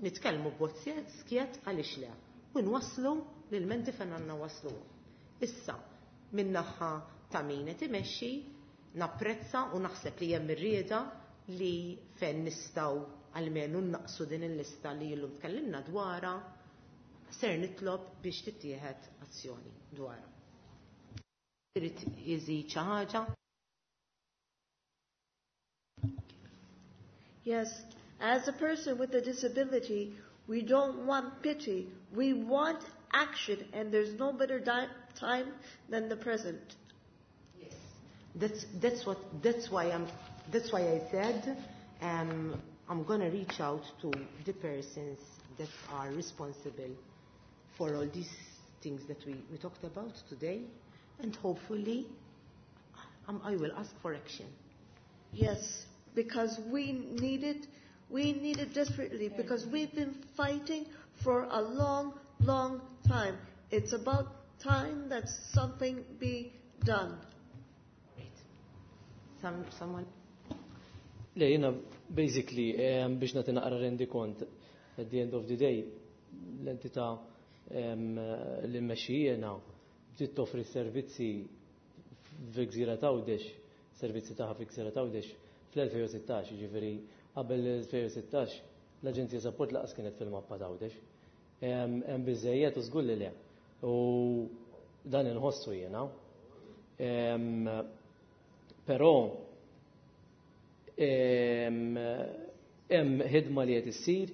nitkellmu b'mod skjett għaliex le. U nwasslu l-menti fejn għandna waslu. Issa, min-naħa ta' min qed imexxi, napprezza u naħseb li hemm ir-rieda li fejn nistgħu almenu naqsu din il-lista li illum tkellimna dwarha, ser nitlob biex tittieħed azzjoni dwarha. Irid iżid xi ħaġa? Yes, as a person with a disability, we don't want pity. We want action, and there's no better di- time than the present. Yes, that's, that's, what, that's, why I'm, that's why I said um, I'm going to reach out to the persons that are responsible for all these things that we, we talked about today, and hopefully um, I will ask for action. Yes, because we need it. We need it desperately because we've been fighting for a long, long time. It's about time that something be done. Great. Some, someone? Le, jiena, basically, um, biex nagħti naqra rendikont, at the end of the day, l-entità um, li mmexxi jiena bdiet toffri servizzi fil-Gżira t'Għawdex, servizzi tagħha fil-Gżira t'Għawdex fl-elfejn u sittax, ġifieri qabel l-elfejn u sittax l-Aġenzija Sapport lanqas kienet fil-mappa t'Għawdex. Hemm biżejjed u żgur li le. U dan inħossu jiena. Però hemm ħidma li qed issir,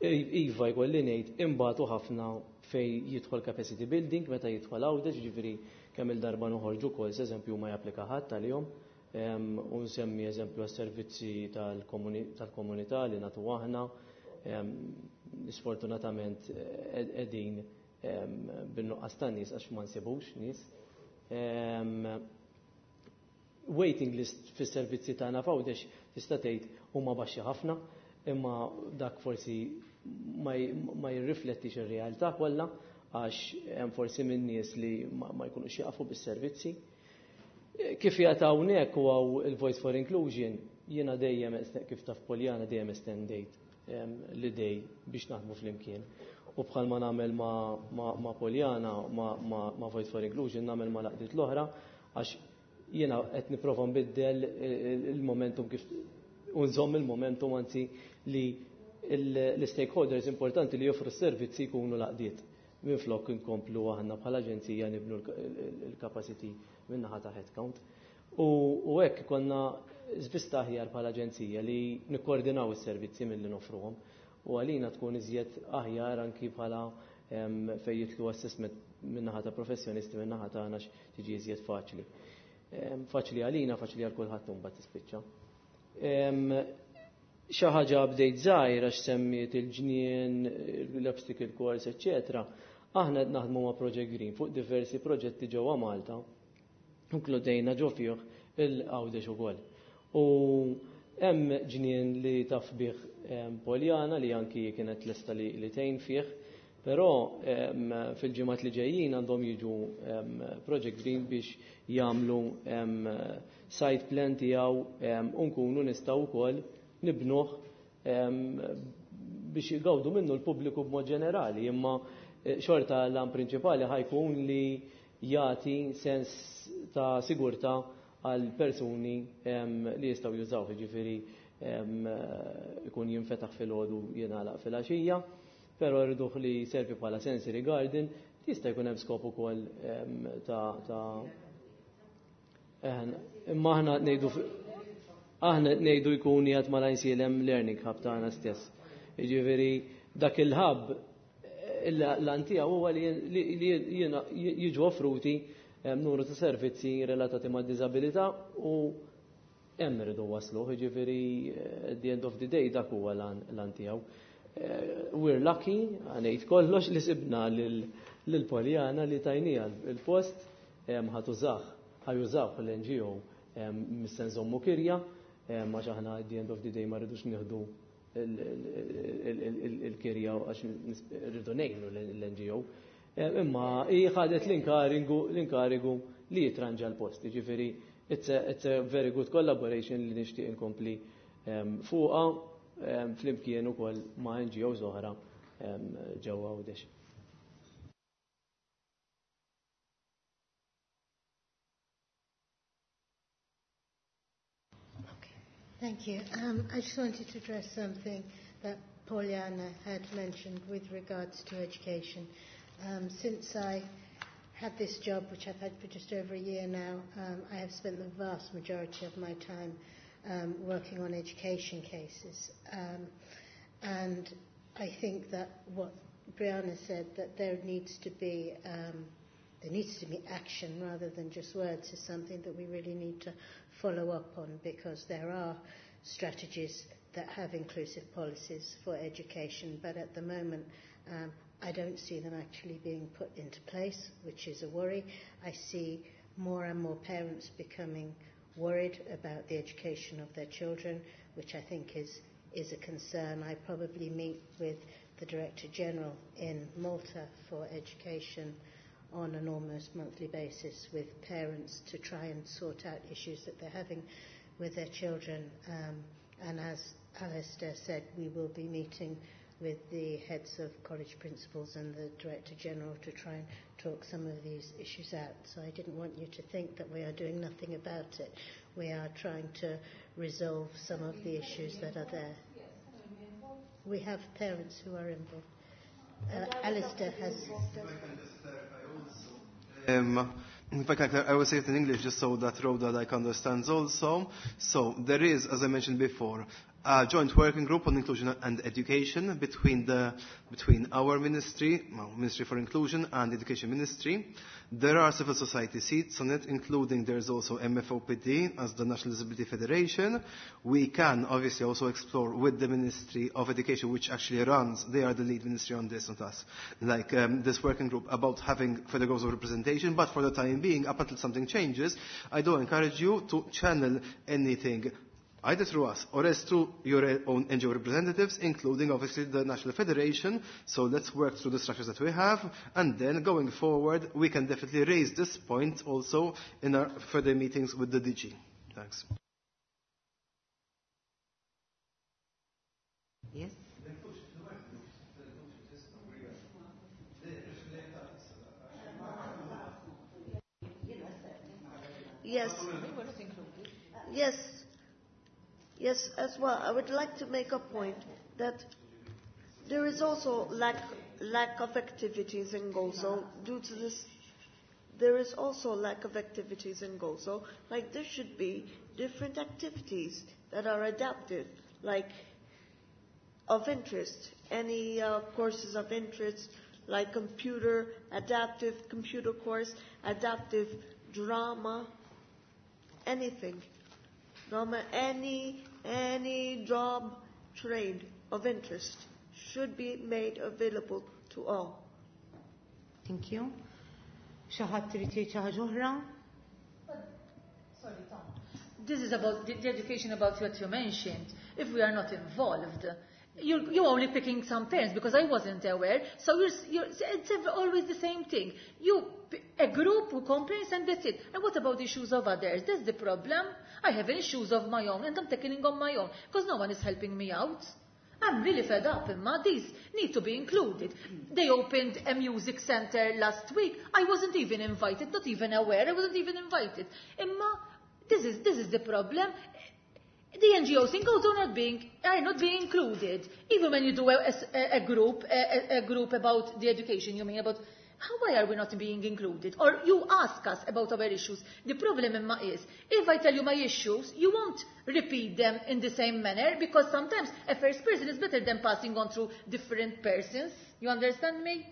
iva jkolli ngħid imbagħtu ħafna fej jidħol capacity building meta jidħol Għawdex, ġifieri kemm il-darba noħorġu calls, eżempju, ma japplika ħadd tal-jum, u nsemmi eżempju għas-servizzi tal-komunità li nagħtu aħna, sfortunatament qegħdin bin-nuqqas ta' nies għax ma nsibux nies. Waiting list fis-servizzi tagħna f'Għawdex tista' tgħid huma baxxi ħafna, imma dak forsi ma jirriflettix ir-realtà kollha għax hemm forsi minn nies li ma jkunux jaqfu bis-servizzi. Kif jgħat hawnhekk u hawn il-Voice for Inclusion, jiena dejjem kif taf Poljana dejjem estendejt l-idej biex naħdmu flimkien. U bħalma nagħmel ma', ma, ma Poljana, ma, ma, ma Voice for Inclusion, nagħmel ma l-għaqdiet l-oħra, għax jiena qed nipprova nbiddel il-momentum kif u nżomm il-momentum anzi li l-stakeholders importanti li joffru s-servizzi jkunu l-għaqdiet. Minflok nkomplu aħna bħala aġenzija nibnu l-capacity min-naħa ta' headcount. U hekk konna żvista aħjar bħala aġenzija li nikkoordinaw is-servizzi milli noffruhom. U għalina tkun iżjed aħjar anki bħala fejn jidħlu assessment min-naħa ta' professjonisti min-naħa tagħna tiġi iżjed faċli. Faċli għalina, faċli għal kulħadd imbagħad tispiċċa. Xi ħaġa bdejt żgħir għax semmiet il-ġnien, l-obstacle course, eċċetera. Aħna qed naħdmu ma' Project Green fuq diversi proġetti ġewwa Malta, inkludejna ġo fih il-Għawdex ukoll. U hemm ġnien li taf bih Poljana li anki kienet lesta li, li tgħin fih, però fil-ġimgħat li ġejjin għandhom jiġu Project Green biex jagħmlu site plan tiegħu u nkunu nistgħu wkoll nibnuh biex jgawdu minnu l-pubbliku b'mod ġenerali, imma xorta l-għan prinċipali ħa jkun li jagħti sens ta' sigurtà għal persuni li jistgħu jużaw, jiġifieri ikun jinfetaħ filgħodu jingħalaq filgħaxija, però rriduh li servi bħala sensory garden, jista' jkun hemm skop ukoll ta' ta' imma aħna ngħidu aħna ngħidu jkun qiegħed mal-Għajnsielem Learning Hub tagħna stess. Jiġifieri dak il-hub l-għan tiegħu huwa li jiġu offruti numru ta' servizzi relatati ma' disabilità u hemm irridu waslu, jiġifieri at the end of the day dak huwa l-għan tiegħu. We're lucky, ngħid kollox li sibna lil Poljana li tajnija il-post ħa tużah, ħa jużaw l-N G O mhux se nżommu kirja, għax aħna at the end of the day ma rridux nieħdu il-kirja għax rridu ngħinu l-N G O. Imma hi ħadet l-inkarigu li jitranġa l-post. Ġifieri, it's a, it's a very good collaboration li nixtieq inkompli fuqha flimkien ukoll ma' N G Os oħra ġewwa Għawdex. Thank you. Um, I just wanted to address something that Poliana had mentioned with regards to education. Um, since I had this job, which I've had for just over a year now, um, I have spent the vast majority of my time um, working on education cases. Um, and I think that what Brianna said, that there needs to be um, there needs to be action rather than just words, is something that we really need to follow up on, because there are strategies that have inclusive policies for education, but at the moment um, I don't see them actually being put into place, which is a worry. I see more and more parents becoming worried about the education of their children, which I think is, is a concern. I probably meet with the Director General in Malta for education on an almost monthly basis with parents to try and sort out issues that they're having with their children. Um, and as Alistair said, we will be meeting with the heads of college principals and the Director General to try and talk some of these issues out. So I didn't want you to think that we are doing nothing about it. We are trying to resolve some of the issues that are there. We have parents who are involved. Uh, Alistair has... Um, if I can, I will say it in English just so that Rhoda like understands also. So there is, as I mentioned before, a joint working group on inclusion and education between the between our ministry, well, Ministry for Inclusion, and Education Ministry. There are civil society seats on it, including there's also M F O P D as the National Disability Federation. We can obviously also explore with the Ministry of Education, which actually runs, they are the lead ministry on this, not us, like um, this working group about having further goals of representation. But for the time being, up until something changes, I do encourage you to channel anything Either through us or else through your own N G O representatives, including obviously the National Federation. So let's work through the structures that we have, and then going forward, we can definitely raise this point also in our further meetings with the D G. Thanks. Yes. Yes. Yes. Yes, as well. I would like to make a point that there is also lack, lack of activities in Gozo due to this. There is also lack of activities in Gozo. Like there should be different activities that are adaptive, like of interest, any uh, courses of interest, like computer, adaptive computer course, adaptive drama, anything. Drama, any, any job, trade of interest should be made available to all. Thank you. Xi ħadd trid jgħid xi ħaġa oħra? Sorry, Tom. This is about the, the education about what you mentioned. If we are not involved, you're, you're only picking some parents because I wasn't aware. So you're, you're, it's always the same thing. You, a group who complains and that's it. And what about the issues of others? That's the problem. I have issues of my own and I'm tackling on my own because no one is helping me out. I'm really fed up, Imma. These need to be included. They opened a music center last week. I wasn't even invited, not even aware. I wasn't even invited. Imma, this is, this is the problem. The N G Os in Gozo are not being, are not being included. Even when you do a, a, a group, a, a group about the education, you mean about how, why are we not being included? Or you ask us about our issues. The problem, Imma, is if I tell you my issues, you won't repeat them in the same manner because sometimes a first person is better than passing on through different persons. You understand me?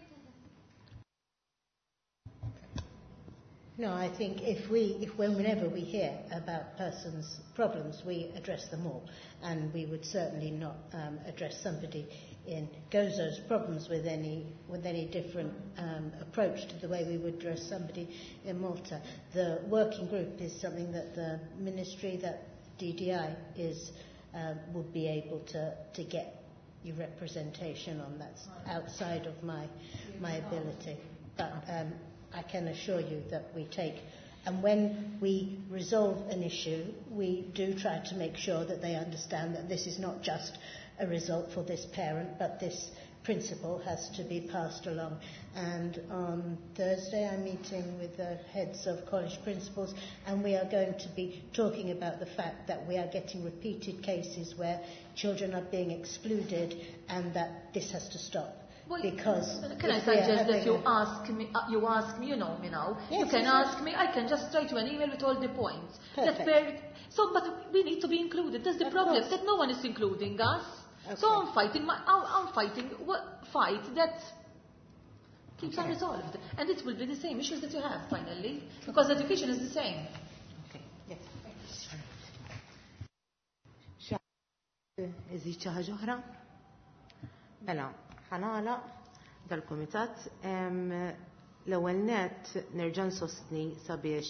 No, I think if we, if whenever we hear about persons' problems, we address them all, and we would certainly not, um, address somebody in Gozo's problems with any, with any different, um, approach to the way we would address somebody in Malta. The working group is something that the ministry, that D D I is, um, would be able to, to get your representation on. That's outside of my, my ability, but. Um, I can assure you that we take, and when we resolve an issue, we do try to make sure that they understand that this is not just a result for this parent, but this principle has to be passed along. And on Thursday, I'm meeting with the heads of college principals, and we are going to be talking about the fact that we are getting repeated cases where children are being excluded and that this has to stop. Well, because can I suggest that you ask me, uh, you ask me, you know me now. Yes, you can yes, ask me, I can just write you an email with all the points. Perfect. That per, so, but we need to be included. That's the Of problem, course. that no one is including us. Okay. So I'm fighting, my, I'm, I'm fighting what fight that keeps Okay. unresolved. And it will be the same issues that you have, finally, because education is the same. Okay. Yes. Iżid xi ħaġa oħra? Mela, ħanala dal-kumitat. Em, l-ewwel nett nerġa' nsostni sabiex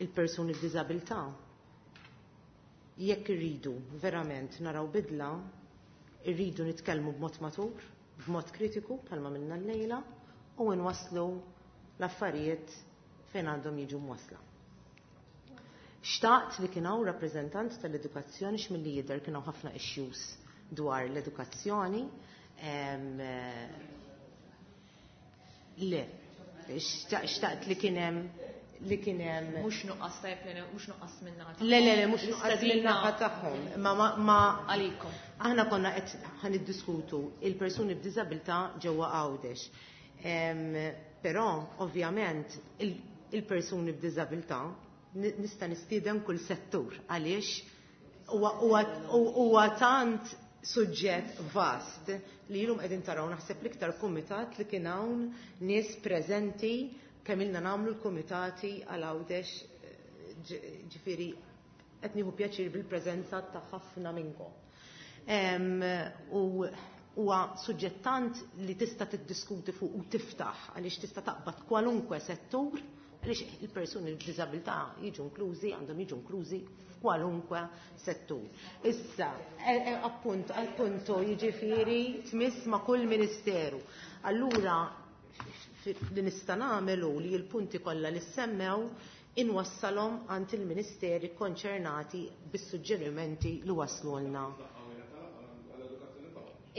il-persuni b'diżabilità jekk irridu verament naraw bidla, irridu nitkellmu b'mod matur, b'mod kritiku bħalma minna llejla u nwasslu l-affarijiet fejn għandhom jiġu mwassla. Xtaqt li kien hawn rappreżentant tal-edukazzjoni x'milli jidher kien hawn ħafna issues dwar l-edukazzjoni. Em, le, xtaqt, xtaqt li kien hemm li kien hemm Mhux nuqqas tajjeb li mhux nuqqas minna tagħhom. Le, le, le, mhux nuqqas L-istadina minna tagħhom. Ma, ma, ma għalikom. Aħna konna qed ħaniddiskutu il-persuni b'diżabilità ġewwa Għawdex. Em, però ovvjament il-, il-persuni b'diżabilità ni-, nista' nistieden kull settur għaliex huwa, huwa, huwa tant suġġett vast li ilhom qegħdin taraw naħseb l-iktar kumitat li kien hawn nies preżenti kemm ilna nagħmlu l-kumitati għal Għawdex, ġ-, ġifieri qed nieħu pjaċir bil-preżenza ta' ħafna minnkom. Em, u huwa suġġett tant li tista' tiddiskuti fuq u tiftaħ għaliex tista' taqbad kwalunkwe settur Għaliex il-persuni b'diżabilità jiġu inklużi, għandhom jiġu inklużi f'kwalunkwe settur. Issa, appunto, appunto, jiġifieri tmiss ma' kull ministeru. Allura, li nista' nagħmel hu li l-punti kollha li semmew inwassalhom għand il-ministeri konċernati bis-suġġerimenti li waslulna.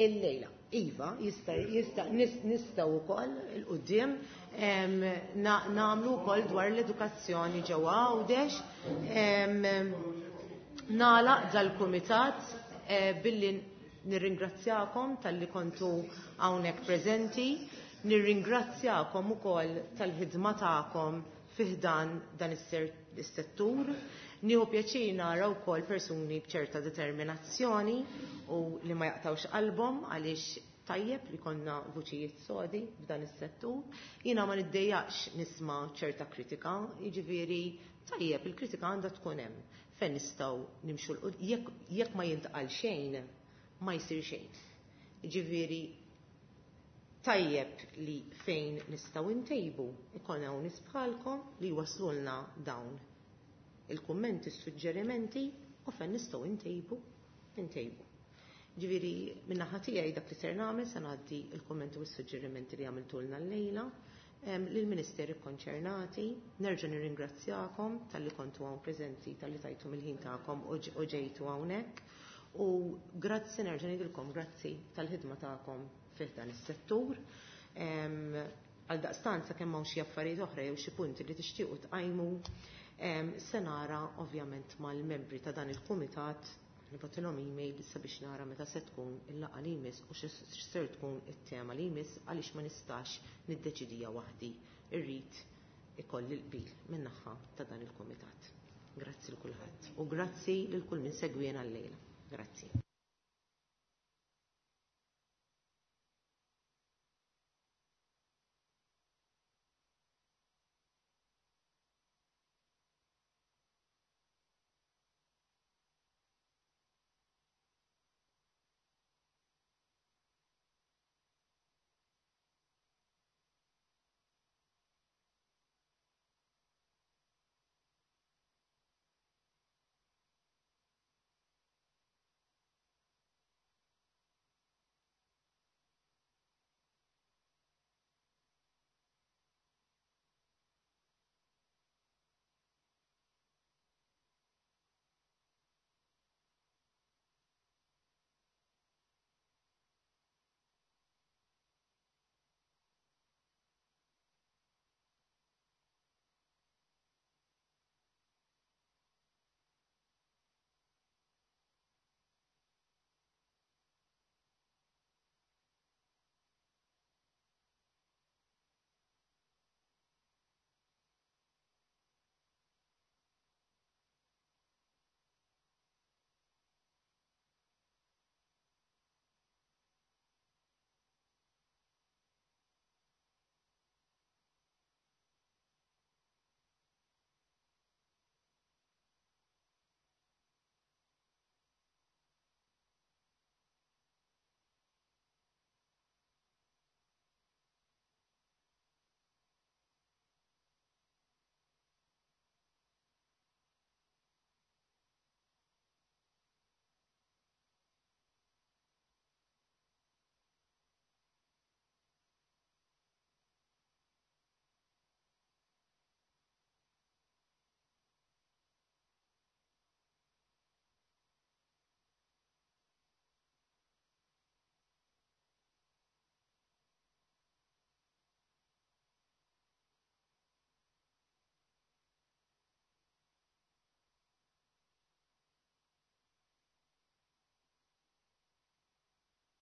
Illejla. Iva, jista, jista, nistgħu wkoll il-quddiem nagħmlu wkoll dwar l-edukazzjoni ġewwa Għawdex. Nagħlaq dal-kumitat billi nirringrazzjakom talli kontu hawnhekk preżenti, nirringrazzjakom ukoll tal-ħidma tagħkom fi ħdan dan is-settur. Nieħu pjaċir nara wkoll persuni b'ċerta determinazzjoni u li ma jaqtawx qalbhom għaliex tajjeb li konna vuċijiet sodi f'dan is-settur. Jiena ma niddejjaqx nisma' ċerta kritika, jiġifieri tajjeb il-kritika għandha tkun hemm fejn nistgħu nimxu l jekk jekk ma jintqal xejn ma jsir xejn. Jiġifieri tajjeb li fejn nistgħu ntejbu ikun hawn nies bħalkom li jwaslulna dawn il-kummenti, s-suġġerimenti u fejn nistgħu ntejbu, ntejbu. Ġifieri min-naħa tiegħi dak li ser nagħmel se ngħaddi l-kummenti u s-suġġerimenti li għamiltulna llejla lill-ministeri konċernati. Nerġa' nirringrazzjakom talli kontu hawn preżenti, talli tajtu mill-ħin tagħkom u ġejtu hawnhekk. U grazzi nerġa' ngħidilkom grazzi tal-ħidma tagħkom fih dan is-settur. Għal daqstant sakemm hawn xi affarijiet oħra jew xi punti li tixtiequ tqajmu, se nara ovvjament mal-membri ta' dan il-kumitat nibgħatilhom email sabiex nara meta se tkun il-laqgħa li jmiss u x'ser tkun it-tema li jmiss għaliex ma nistax niddeċidija waħdi. Irrid ikolli l-qbil min-naħa ta' dan il-kumitat. Grazzi lil kulħadd u grazzi lil kull min segwiena llejla. Grazzi.